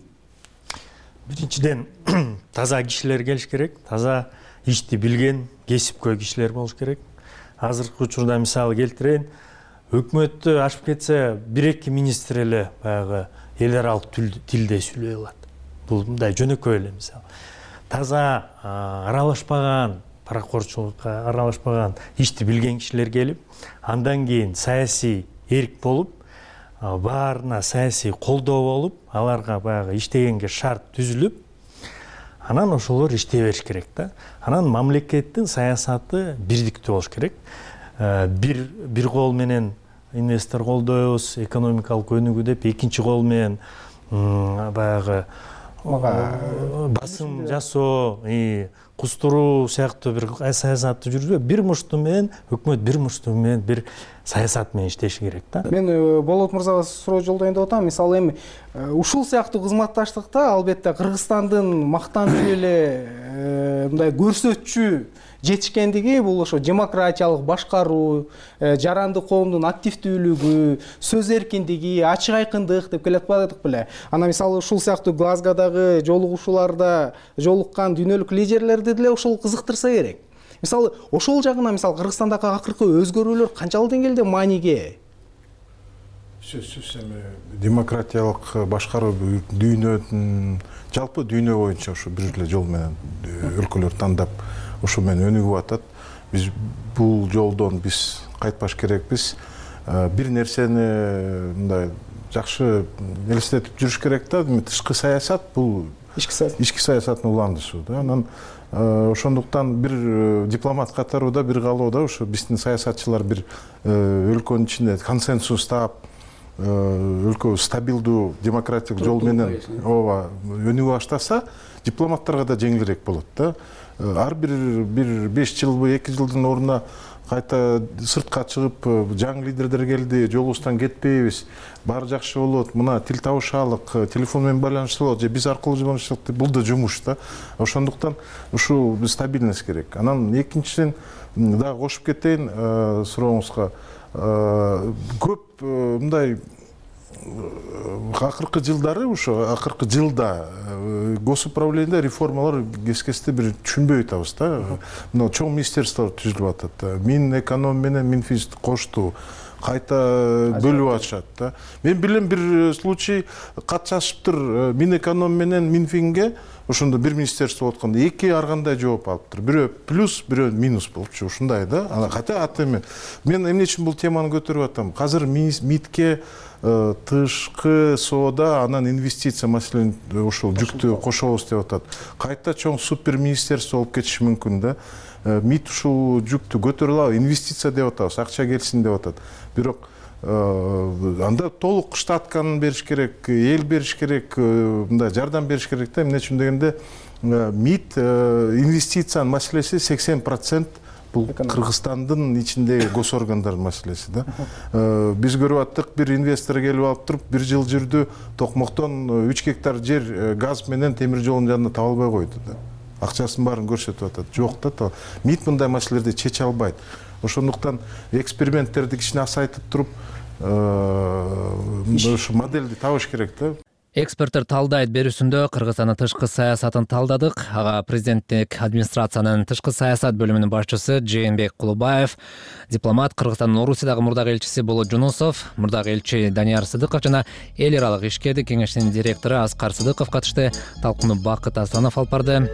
Биринчиден, таза кишилер келиш керек, таза ишти билген, кесипкөй кишилер болуш керек. Азыркы учурда мисалы келтирейин, өкмөттү ашып кетсе, бир-эки министр эле баягы эл аралык тилде сүйлөй алат. Бул мындай жөнөкөй эле мисалы. Таза аралашпаган, паракорчулукка аралашпаган, ишти билген кишилер келип, андан кийин саясий эрк болуп, баарына саясий колдоо болуп, аларга баягы иштегенге шарт түзүлүп, анан ошолор иштей бериш керек да. Анан мамлекеттин саясаты бирдиктүү болуш керек. Бир бир кол менен инвестор колдойбуз, экономикалык өнүгүү деп, экинчи кол менен баягы басым жасоо, кустуруу сыяктуу бир саясатты жүргүзбөй, бир мушту менен өкмөт бир мушту менен бир саясат менен иштеши керек да. Мен Болот мырзага суроо жолдоюн деп атам. Мисалы, эми ушул сыяктуу кызматташтыкта албетте Кыргызстандын мактанчу эле мындай көрсөтчү жетишкендиги бул ошо демократиялык башкаруу, жаранды коомдун активдүүлүгү, сөз эркиндиги, ачык айкындык деп келе атпадык беле. Ана мисалы ушул сыяктуу Глазгодагы жолугушууларда жолуккан дүйнөлүк лидерлерди деле ушул кызыктырса керек. Мисалы, ошол жагына мисалы Кыргызстандагы акыркы өзгөрүүлөр канчалык деңгээлде мааниге? Сөзсүз эми демократиялык башкаруу дүйнөнүн жалпы дүйнө боюнча ушу бир эле жол менен өлкөлөр тандап ушу менен өнүгүп атат. Биз бул жолдон биз кайтпаш керекпиз. Бир нерсени мындай жакшы элестетип жүрүш керек да. Тышкы саясат бул ички саясат, ички саясаттын уландышуу да. Анан ошондуктан бир дипломат катарында бир калууда ушу биздин саясатчылар бир өлкөнүн ичинде консенсус таап, өлкө стабилдүү демократик жол менен ооба өнүгүп баштаса, дипломаттарга да жеңилирээк болот да. Ар бир бир беш жылбы, эки жылдын ордуна кайта сыртка чыгып, жаңы лидерлер келди, жолубуздан кетпейбиз, баары жакшы болот, мына тил табышалык, телефон менен байланышалык же биз аркылуу байланышалык деп, бул да жумуш да. Ошондуктан ушул стабильность керек. Анан экинчиден дагы кошуп кетейин сурооңузга. Көп мындай акыркы жылдары ушу акыркы жылда госуправлениеде реформалар кескесте бир түшүнбөй атабыз да. Мына чоң министерстволор түзүлүп атат. Минэконом менен Минфиз кошту, кайта бөлүп атышат да. Мен билем бир случай кат жазышыптыр Минэконом менен Минфинге, ошондо бир министерство откондо эки ар кандай жооп алыптыр. Бирөө плюс, бирөө минус болупчу, ушундай да. Ана ката ат эми. Мен эмне үчүн бул теманы көтөрүп атам? Азыр МИДке тышкы соода, анан инвестиция маселени ошол жүктү кошобуз деп атат. Кайта чоң супер министерство болуп кетиши мүмкүн да. МИД ушул жүктү көтөрө алабы, инвестиция деп атабыз, акча келсин деп атат. Бирок анда толук штатканы бериш керек, эл бериш керек, мындай жардам бериш керек да. Эмне үчүн дегенде МИД инвестициянын маселеси сексен процент бул Кыргызстандын ичиндеги госоргандардын маселеси да. Биз көрүп аттык, бир инвестор келип алып туруп, бир жыл жүрдү, токмоктон үч гектар жер газ менен темир жолдун жанында таба албай койду да. Акчасын баарын көрсөтүп атат. Жок да. МИД мындай маселелерди чече албайт. Ошондуктан эксперименттерди кичине асайтып туруп, ушу модельди табыш керек да. Эксперттер талдайт берүүсүндө Кыргызстандын тышкы саясатын талдадык. Ага президенттик администрациянын тышкы саясат бөлүмүнүн башчысы Жээнбек Кулубаев, дипломат Кыргызстандын Орусиядагы мурдагы элчиси Болот Жунусов, мурдагы элчи Данияр Сыдыков жана эл аралык ишкердик кеңешинин директору Аскар Сыдыков катышты. Талкууну Бакыт Асанов алып барды.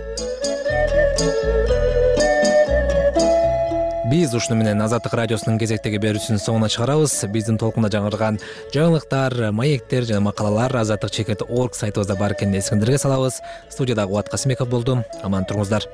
Биз ушуну менен Азаттык радиосунун кезектеги берүүсүнүн соңуна чыгарабыз. Биздин толкунда жаңырган жаңылыктар, маектер жана макалалар азаттык чекит точка орг сайтыбызда бар экенин эсиңиздерге салабыз. Студияда Кубат Касымбеков болду. Аман туруңуздар.